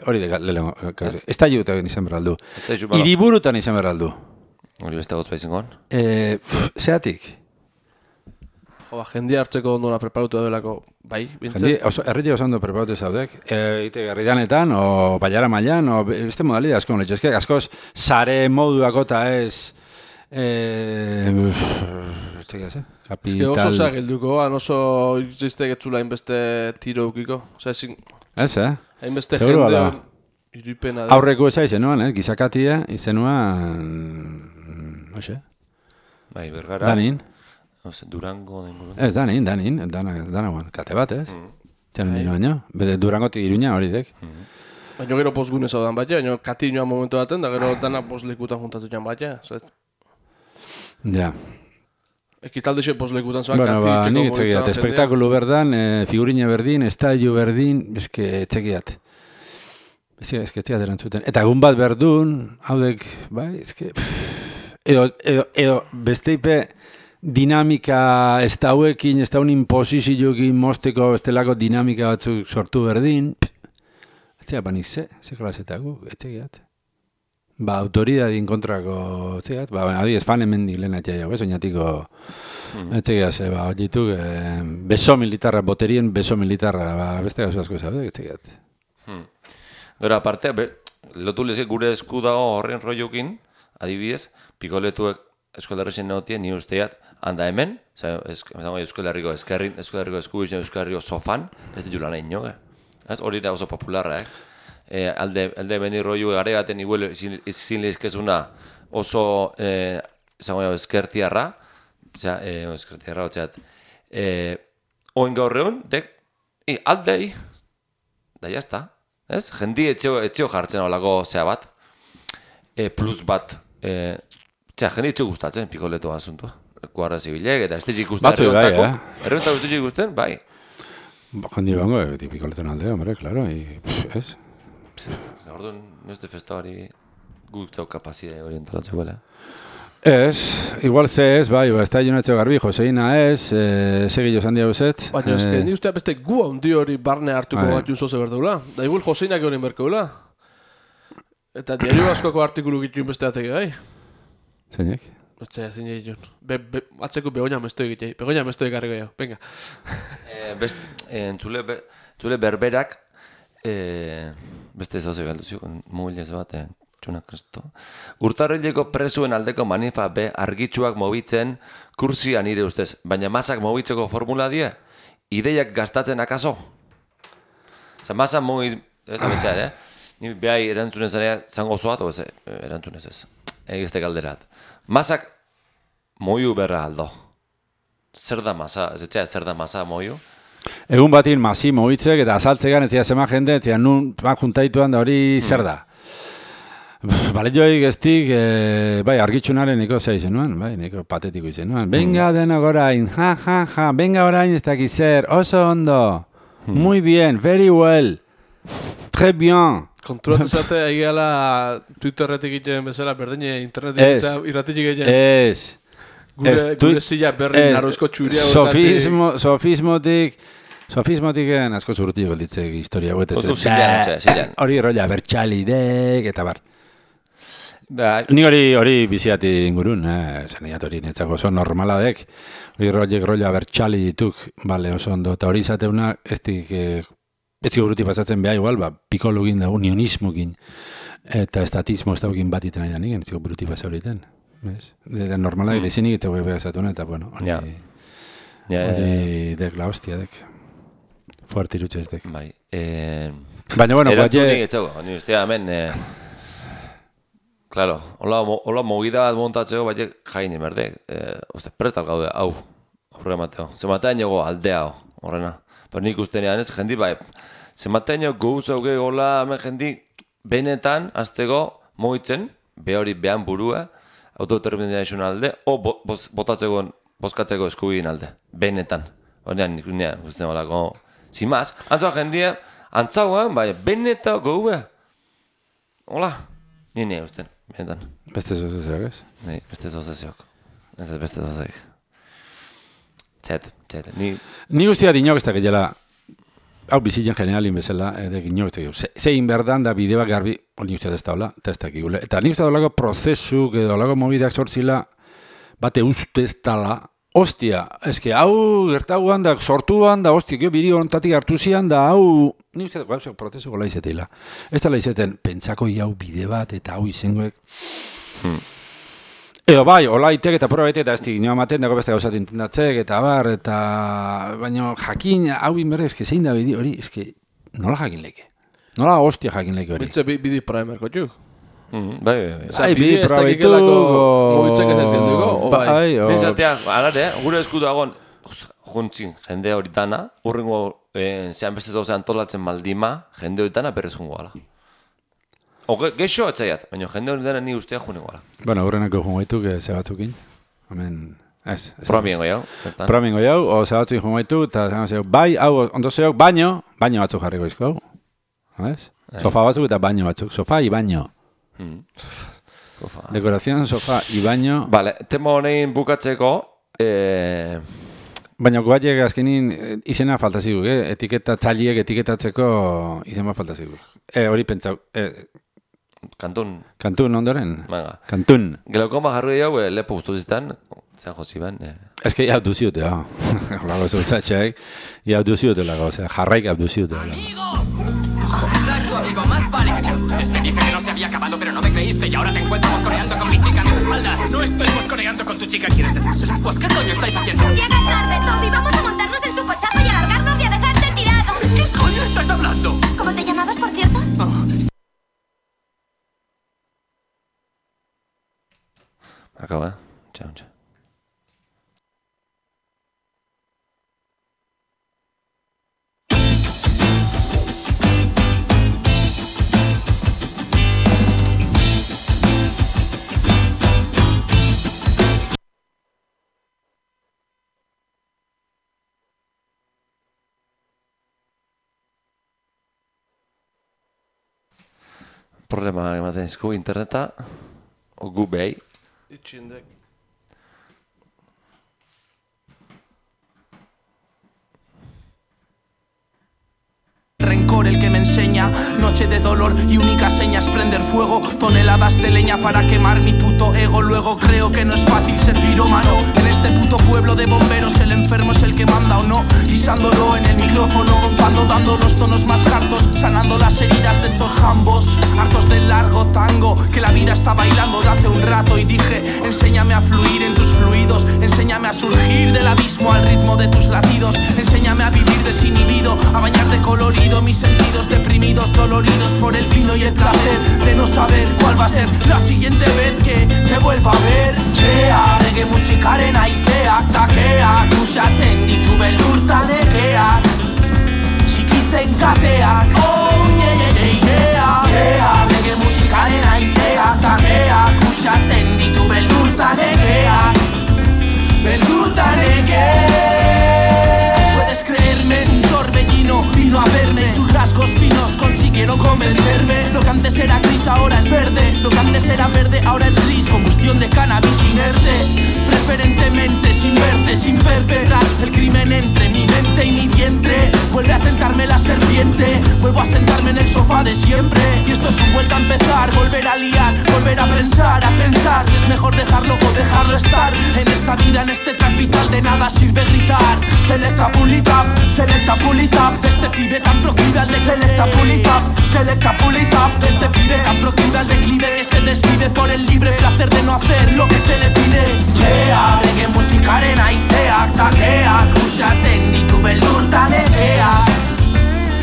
hori de lehenko. Ez da jutan izan behar aldu. Iriburutan izan behar aldu. Hori beste gozpa izan gon? Zeatik? Jendia hartzeko ondona preparutu delako, bai, bintzen? Erritik oso ondo preparutu zaudek. Ite garridanetan, o baiara mailan, o beste modalidad asko letxezke. Askoz, sare moduako eta ez... Ez que oso zeak elduko, oso izteik etzula hainbeste tiro eukiko. Ez, hainbeste jende iripena. Aurreko eza izenuan, gizakatia izenuan... Oxe? Bai, bergara. Danin. Durango... Ez, Danin, kate bat, ez? Txanen dino baino. Bede Durangotik Iruña hori dek. Baina gero postgune zaudan bat, baina kati inoan momentu daten, da gero dana postlekutan juntatu jan bat, Ja. Ekitalde xe postlekutan zaudan kati. Bueno, nik etxekiat, espektakulu berdan, figurina berdin, estadio berdin, eske etxekiat. Eske erantzuten. Eta egun bat berdun, haudek, bai, eske... Edo besteipe... dinamika ez dauekin, ez daun imposizioekin mosteko estelako dinamika batzuk sortu berdin, etzea banize, zekolazetako, etxegiat. Autoridadin kontrako, etxegiat, adiez fan hemendik lehen atxai jau, oinatiko Etxegia ze, hori dituk, beso militarra, boterien beso militarra, beste gazu asko zabe, etxegia. Gero, aparte, lotu lezke gure esku dago horren rollokin, adibidez, pikoletuek Euskal Herrixen neotien, ni usteat, handa hemen, Euskal Herriko eskerrin, Euskal Herriko eskubizen, Euskal Herriko sofan, ez ditu lan egin joge. Hori da oso popularra, alde bendi rollo gare baten igual izin lehizkezuna oso eskertiarra, eskertiarra, oin gaur egun, aldei, da jazta, ez? Jendi etxeo jartzen olako zea bat, plus bat, jendi etxeo gustatzen pikoleto asuntua. Kuarra zibilek, eta ez ditzik gustatzen erreontako. Erreontako ez ditzik gustatzen, bai. Jendi bango, pikoleton aldea, hombre, claro, ez? Orduan, nozte festa hori guk txau kapazide orientalatzeko, bale? Ez, igual ze ez, bai, ez da jonatxo garbi, Joseina ez, segillo zandia bezet. Baina, ez que ni ustea beste gu handi hori barne hartuko bat junzoze berdeula. Da igual Joseinak hori berkeula. Eta diario askoko artikulu gitu besteatek, bai? Zeinek? Otzea, zein egin. Atzeko begoña mesto egitei. Begoña mesto egarriko jau. Venga. Entzule berberak, beste ez hauze galdu zio, mubilez bat, txunak kristo. Urtarrileko presuen aldeko manifa be argitxuak mobitzen kursian nire ustez, baina masak mobitzeko formula die, ideiak gastatzen akaso? Zer, masak ez abetxean, ni behai erantzunez zanea zango zoat, o ez, erantzunez ez, egizte galderat. Masak moiu berra aldo. Zer da masa, ez etxea zer da masa moiu? Egun batin masi mobitzek eta azaltzegan ez zema jende, ez nun juntaituan da hori zer da. Bale joik eztik, bai, argitxunaren niko zea izen nuen, bai, niko patetiko izen nuen. Venga denok orain, ja, venga orain ez dakiz zer, oso ondo, muy bien, very well, très bien. Konturatu zate, egala Twitterretik egiten bezala, berdine internetik irratik egiten. Ez. Gure zila berri narrozko txuria. Sofismotik asko zurtio golditzek historia guetez. Oso zilean. Hori rolla bertxalidek eta bar. Ni hori biziati ingurun, zaniat hori netzako oso normaladek. Hori rolla bertxali dituk, bale oso ondo. Eta hori izateuna, ez buruti pasatzen beha igual, pikologin da, unionismokin, eta estatismo ez daukin bat iten aidan igen, ez buruti pasa horiten. Normalak dezinik eta guek behazatuna, eta bueno, hori dek la hostia dek. Fuerte irutxe ez dek. Bai. Baina, bueno, erantzunik etxago, ni ustea hemen, claro, hola movida bat montatzeko, baina jaini merdek, prestal gaude, hau, horre mateo. Zematean jogo aldea horrena. Pero nik ustenean ez, jendi bai, zematean gouz hauge gola, hemen jendi, benetan, azteko, mogitzen, hori behan burua, autodeterminazioen alde, o bozkatzeko eskubigin alde, benetan. Horrean nik ustean olako, zimaz, antzaua jendia, antzauan, bai, benetan goue. Hola, nire usten, benetan. Beste zozeziok ez? Nei, beste zozeziok. Ez beste zozeziok. Txet, ni guztia dinok ez da gehiela, hau bizitzen generalin bezala, dinok ez da gehiago. Zein berdan da bide bat garbi, ni guztia ez da hola, eta ez da gehiago. Eta ni guztia dolako prozesu, dolako mobideak sortzila, bate ustez tala, ostia, eske hau gertaguan da, sortuan da, ostia, biri hontatik hartu zian da, hau, ni guztia da, prozesu gola izeteila. Ez da la izeten, pentsako hau bide bat, eta hau izengoek. Edo bai, hola itek eta probetek eta ez dik nioa maten dago beste gauzat intendatzek eta bar, eta baina jakin, hau inberre, eske zein da bidi hori, eske nola jakin leke? Nola hostia jakin leke hori? Bitze bidi primerko txuk? Bai. Bidi ez dakikelako mobitzek ez ez genduko, o bai? Nizatea, alare, gure eskudu agon, juntzin jende hori dana, urrengo zean beste zauze antolatzen maldima, jende hori dana berrezungo gala. Geixo atzaiat, baina jende hori dena ni ustea june goala. Bueno, horrenako jungaituk ze batzukin. Hemen, ez. Promiengo jau. Promiengo jau, o ze batzukin jungaituk, eta bai, hau, ondo zeok, baino batzuk jarriko izko. ¿Ves? Sofa batzuk eta baino batzuk. Sofa y baino. Dekorazion, sofa y baino. Vale, tema honein bukatzeko, baina guaiek azkenin izena falta ziguk, etiketatzailiek etiketatzeko izena falta ziguk. Hori pentsau, Kantun ondoren? Venga. Kantun. Gelokoma jarri jau, lepo guztu ziztan, zean jozi ban. Ez que hau duziute, horrela zultzatxeak, hau duziute lago, jarraik hau duziute. ¡Amigo! Exacto, amigo, más vale que te dije que no se había acabado, pero no me creíste y ahora te encuentro mosconeando con mi chica a mis espaldas. No estoy mosconeando con tu chica, ¿quieres decírselo? Pues, ¿qué coño estáis haciendo? Llegas tarde, Tommy, vamos a montarnos en su cochazo y alargarnos y a dejarte tirado. ¿Qué coño estás hablando? ¿Cómo te llamabas, por cierto? Acaba, chao, chao. Problema ematen izku interneta, o gu behi. Itxindek. Rencor el que me enseña, noche de dolor y única seña es prender fuego, toneladas de leña para quemar mi puto ego. Luego creo que no es fácil ser pirómano en este puto pueblo de bomberos. El enfermo es el que manda o no, guisándolo en el micrófono, cuando dando los tonos más hartos, sanando las heridas de estos jambos, hartos del largo tango que la vida está bailando de hace un rato. Y dije, enséñame a fluir en tus fluidos, enséñame a surgir del abismo al ritmo de tus latidos, enséñame a vivir desinhibido, a bañar de colorido mis sentidos deprimidos, doloridos por el vino y el placer de no saber cuál va a ser la siguiente vez que te vuelva a ver. Chea, reggae musikaren aizeak takeak, usatzen ditu beldurta nekeak, txikitzen kateak, oh yeah. Chea, reggae musikaren aizeak takeak, usatzen ditu beldurta nekeak, beldurta nekeak. Puedes creerme, un torbellino vino a verme, sus rasgos finos consiguieron convencerme. Lo que antes era gris ahora es verde, lo que antes era verde ahora es gris. Combustión de cannabis inerte, preferentemente sin verte, sin perpetrar el crimen entre mi mente y mi vientre. Vuelve a tentarme la serpiente, vuelvo a sentarme en el sofá de siempre. Y esto es un vuelta a empezar, volver a liar, volver a pensar si es mejor dejarlo o dejarlo estar. En esta vida, en este track vital de nada sirve gritar. Selecta pull it up, de este pibe tan proclive al de selecta pull it up, de este pibe tan proclive al declive que se desvive por el libre placer de no hacer lo que se le pide. Chea, reggae musikaren aizeak takeak, usatzen ditu beldurta nekeak,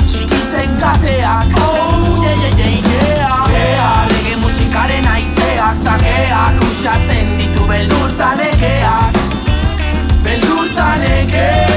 txikitzen kateak, oh yeah. Chea, reggae musikaren aizeak takeak, usatzen ditu beldurta nekeak, beldurta nekeak.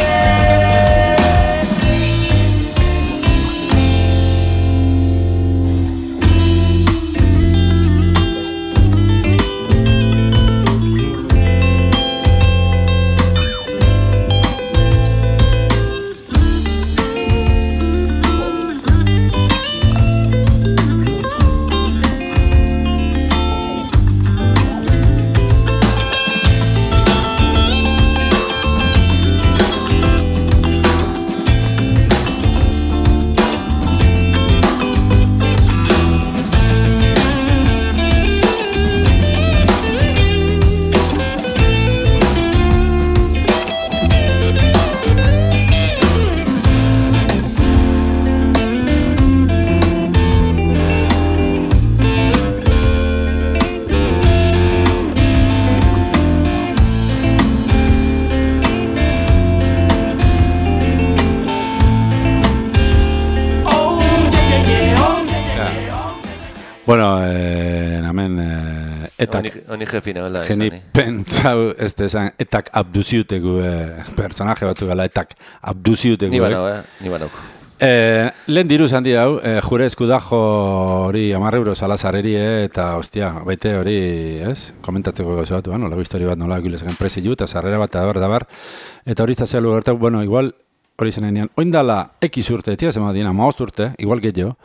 Bueno, hemen etak... Honi jefina, bela, Geni pentsau, ez dezan, etak abduziutegu personaje batu gala, etak abduziutegu. Ni banauk. Lehen diruz handi hau, jure eskudajo hori 10 euro salazareri, eta, ostia, baite hori, ez? Komentatzeko gauza batu, nola histori bat nola gilezken prezilu, eta sarrera bat, eta hori zazelu gertak, bueno, igual, hori zenean, oindala X urte, etzia zema dina, 15 urte, igual gehiago,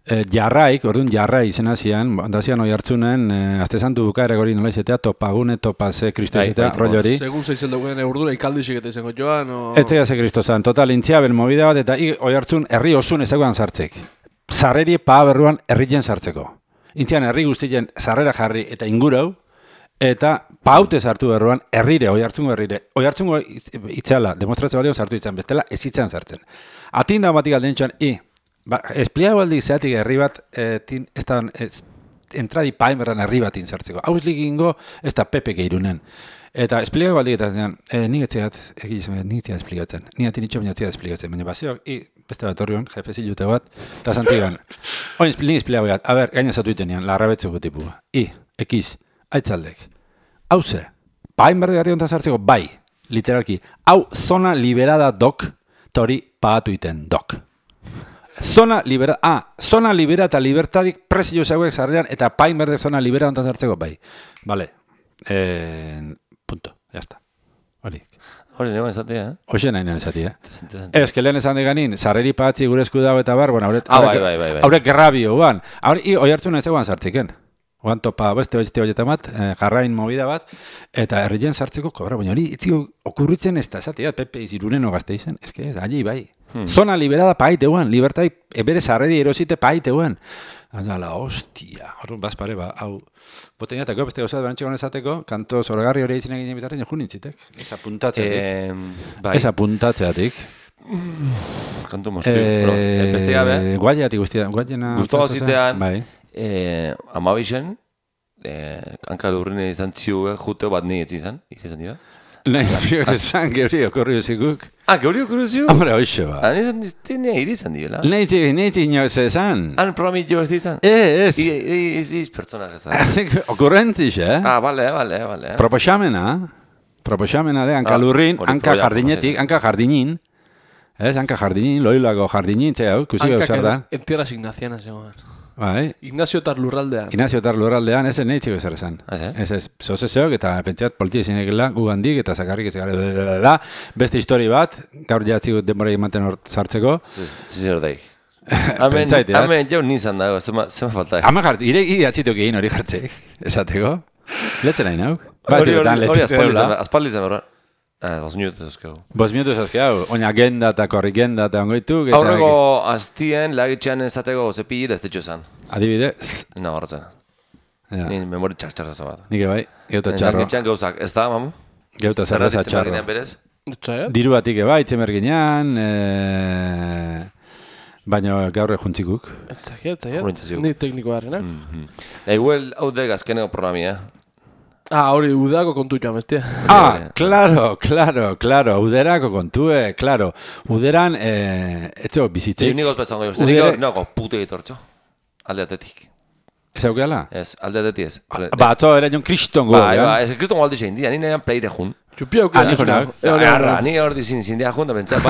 jarraik, orduan jarrai izena zian, ondazian hoi hartzunen, azte zantu bukaerek hori nola izatea, topagune, topase, kristo izatea, rollo hori. Segun zeizel dagoen urdura ikaldixik eta izango joan, o... Etzea ze kristo zan, total, intziabel movida bat, eta hoi hartzun herri osun ezaguan sartzek. Sarreri paa berruan herrien sartzeko. Intzian herri guztien sarrera jarri eta ingurau, Eta paute sartu berruan, herrire, oihartzungo herrire. Oihartzungo itzeala, demostrazio bat sartu izan, bestela ez itzan sartzen. Atinda batik alden txuan, espliago aldi zeatik herri bat, entradi painberran herri bat inzartzeko. Hau eslikingo, ez da Pepeke irunen. Eta espliago aldi eta zean, nik etziat, nik etziat esplikatzen. Nik atin itxo baina etziat esplikatzen. Baina bazeok, beste bat horrion, jefe zilute bat, eta zantzigan. Nik espliago bat, a ber, gaina zatu itenean, larrabetzuko tipua. Ekiz, aitzaldek. Hau ze, painberdi garri honetan zartzeko, bai, literalki. Hau, zona liberada dok, eta hori pagatu iten dok. Zona libera eta libertadik presio zeuek zarrean, eta painberde zona libera honetan zartzeko, bai. Vale. Punto, jazta. Hori nagoen esatia, Hoxe nahi nahi esatia. Ez que lehen esan deganin, zarreri patzi gure esku dago eta bar, haurek gerrabio, guan. Hoi hartu nahi zegoan zartziken. Oan topa beste horieta bat, jarrain movida bat, eta herrien sartzeko kobra, baina hori itziko okurritzen ez da, esatea, Pepe izirunen ogazte izan, ez que ez, allí bai. Zona liberada paite guan, libertai ebere sarreri erosite paite guan. Azala, hostia, horren bazpare, hau, boteniatako, beste gauzat, barantxegon esateko, kanto zorgarri hori izin egin bitarren, jo nintzitek, ez apuntatzeatik. Kanto moztu, beste gabe. Guaiatik guztia, guaiena. Guztua zitean, amabixen, hanka lurrine izan txiuek, juteo bat nahi izan dira? Nahi izan, geuri okorri uzikuk. Geuri okorri uzikuk? Hombre, hoxe ba. Nahi izan dira? Nahi inoz ezan. Han programit jo ez izan? Ez. Iz pertsonak ezan. Okurrentziz, Bale. Proposamena de hanka lurrin, hanka jardinetik, hanka jardinin. Hanka jardinin, loilako jardinin, hau, kusi gau zer da. En tierras ignacianas, zegoen. Bai. Ignacio Tarlurraldean, ez neitziko zer esan. Ez, zozezeok eta pentseat politia izinekela gugandik eta zakarrik ez gara beste histori bat, gaur jatziko denbora ematen hor zartzeko. Zer daik. Hemen jau nizan dago, zema falta. Hama jartzik, ire atzituk egin hori jartzek, esateko. Letzen nahi nauk. Hori aspaldi zen horra. 2 minutos ezkeu. 2 minutos ezkeu, oina agenda eta korrigenda eta ongoitu. Aurreko aztien lagitxean ezateko zepilli da ez tetxo esan. Adibidez? Horretzen. Nien memori txarra zabat. Nik bai, geuta txarro. Lagitxean gauzak, ez da, mamu? Geuta zerreza txarro. Diru batik bai, itzemerginean, baina gaur ejuntxikuk. Ni tekniko harrenak. Eguel hau dek azkeneko programia, hori, udako kontu joan, bestia. Claro, uderako kontue, claro. Uderan, etxo, bizitzik. Niko espezango jo, niko pute egitortxo, alde atetik. Ez aukeala? Ez, alde atetik ez. Atzo, ere joan kriston gu. Ez kriston aldi zein dia, nire pleire jun. Txupia aukera. Nire hor dizin zindia jun, da bentsat,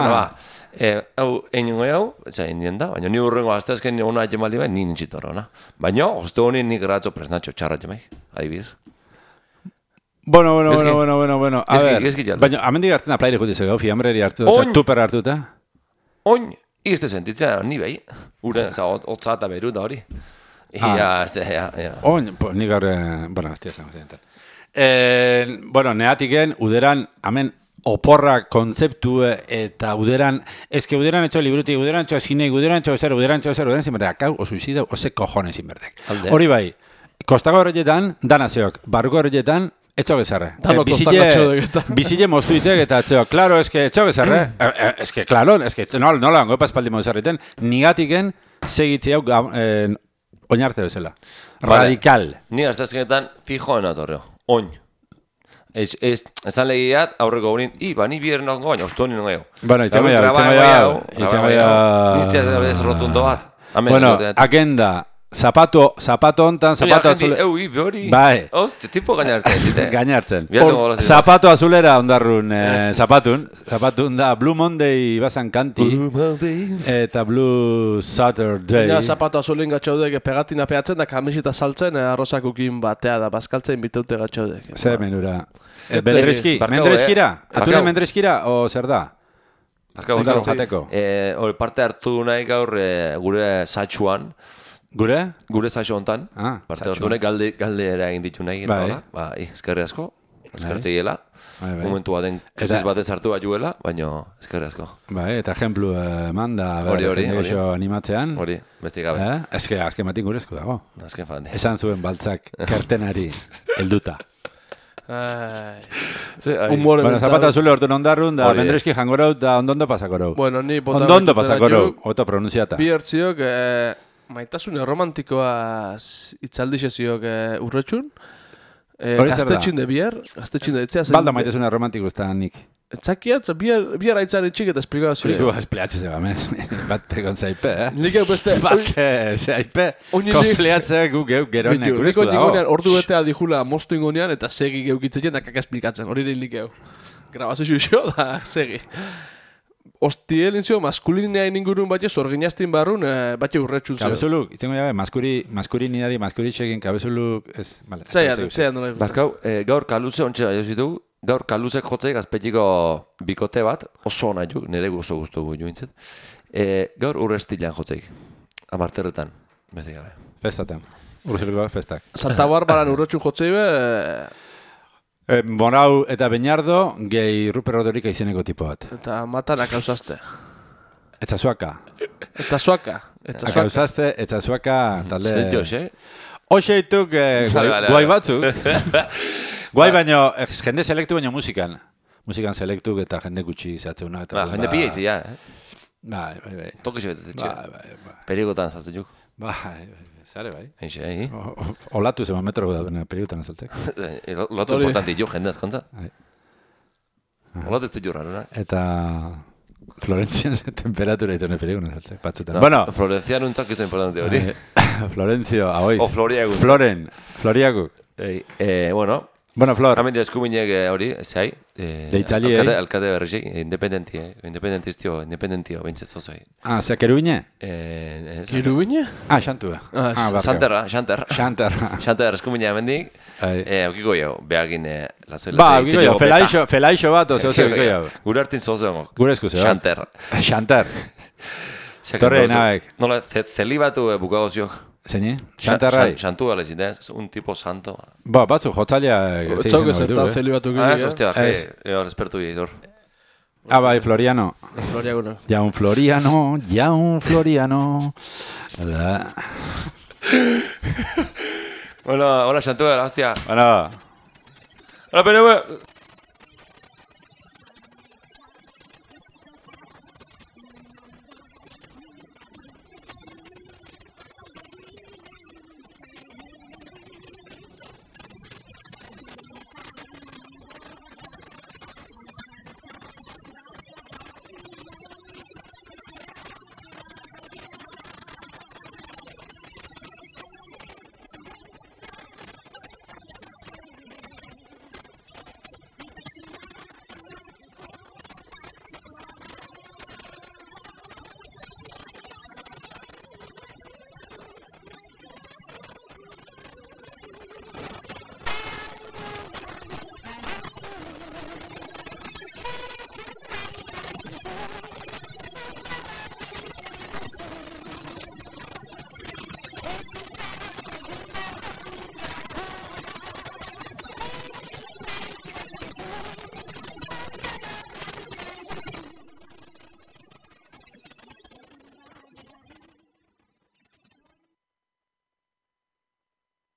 hau, einungo hau, indien da, baina ni urrengo azteazken ona jemaldi bai, nire nintxitorra ona. Baina, hoste honi nik ratxo presnatxo txarra jemaik, adibidez. Bueno. A ver, baina, amendik hartzen aplaire jutizek gau, fiambreri hartu, tuper hartuta? Oin, izte sentitzen, ni behi. Ure, hotza eta beru da hori. Oin, nik gaur, ez tiazan guztientan. Neatiken, uderan, amen, oporrak kontzeptu eta uderan, eske uderan etxo librutik, uderan etxo zinek, uderan etxo zer, uderan zinberdek, hau, o suizida, ose cojones zinberdek. Hori bai, kostago horretan, danazeok, barruko horretan, etxo gezarre. Bizile moztuitek eta etxo, klaro, eske etxo gezarre. Eske, klaro, eske, nola hango espaldi mozarriten, nigatiken segitzi hau oinarte bezala. Radikal. Ni aztazkenetan fijo enatorreo. Oin. Esan legiat, aurreko gurin, ni bieren nongo, baina ustu honi nongo. Bueno, itzen baiau. Nintzen ez rotundo bat. Bueno, agenda. Zapato hontan, zapato azulera. Bai. Oste, tipo gainartzen. Gainartzen. Zapato azulera ondarrun, zapatun da Blue Monday bazan kanti. Eta Blue Saturday. Ja, zapato azulen gatxaudek pegatina peatzen da kamisita saltzen, arrozakukin batea da bazkaltzen bitaute gatxaudek. Zer menura. Mendreskira? Ature mendreskira, o zer da? Zendaro jateko. Parte hartu nahi gaur gure satxuan. Gure? Gure saixo hontan. Parte hartu nahi galdera egin ditu nahi. Eskerri asko. Eskertze giela. Momentu baten krisis batez hartu bat juela, baina eskerri asko. Eta ejemplu manda. Hori. Animatzean. Hori, besti gabe. Azken batik gure esku dago. Azken fan. Esan zuen baltzak kertenari helduta. Bueno, zapata zule hortu nondarrun, da mendreski jangorau, da ondondo pasakorau. Bueno, ni bota ondondo pasakorau, oto pronunciata. Bi hertziok, maitasune romantikoa itzaldixe ziok urretxun. Gaztetxin de bier, gaztetxin de etzea. Balda maitasune romantiko ez da nik. Etzakia, bier haitzan etxik eta esplikau zure. Zu, espleatze zeba, men. Bat egon zaipe, Nik egu beste... Bat zaipe. Konpleatze gu geroinek gurezko dago. Niko ingonean, ordu betea dijula mostu ingonean eta segi geukitzen da kaka esplikatzen. Hori nik egu. Grabazio xo da, segi. Ostiel intzio, maskulineain ingurun batxe, zorginaztin barrun, batxe urretxun zeo. Kabezuluk, izango jabe, maskulinidadi, maskuritxekin, kabezuluk, ez, bale. Zean nola. Barkau, gaur kaluze ontsa jozitugu. Gaur kaluzek jotzek azpetiko bikote bat, oso ona juk, nire oso guztu jointzet. Gaur urrestilan jotzek, amarterretan, beste gabe. Festatan, urrestiluak festak. Santa Barbaran urretxun jotzei be... Bonau eta Beñardo, gehi Ruper Rodorika izeneko tipo bat. Eta matanak hausazte. Etzazuaka. Hausazte, etzazuaka, talde... Zedeti hoxe? Hoxe ituk guai batzuk. Guai baino, jende selektu baino musikan. Musikan selektuk eta jende gutxi zehatzeuna. Jende pila izi, ja. Bai. Tokixe betetetxe. Bai. Perigotan saltzen juk. Bai, zare bai. Eixe, Olatu zema metro da perigotan saltzek. Olatu importanti jo, jende azkontza. Olatu ez du jorra, Eta... Florentzian temperatura itone perigotan saltzek, batzutan. Bueno, Florencian untzak izan importante hori. Florentzio, ahoiz. O Floriagut. Floriagut. Bueno, Flor. Hemen eskuminek hori, zehai. Deitzali, Alkate berrizei, independentio, bintzet zozai. Zea kerubine? Kerubine? Xantua. Xanterra. Xanterra eskuminek hemendik. Aukiko jau, behagin lazela. Aukiko jau, felaixo bat, ozeo aukiko jau. Gure hartin zozeo. Gure esku zeo. Xanter. Torre naek. Nola, zelibatu bukago ziok. Zeini? Xantarra? Xantu gale zidez, un tipo santo. Batzu, jotzalia... Txauke zertan zelibatu gire. Hostia, respertu gire, bai, Floriano. Floriano. Jaun Floriano. Bueno, hola, Xantu, hostia. Bueno. Hola, PNV.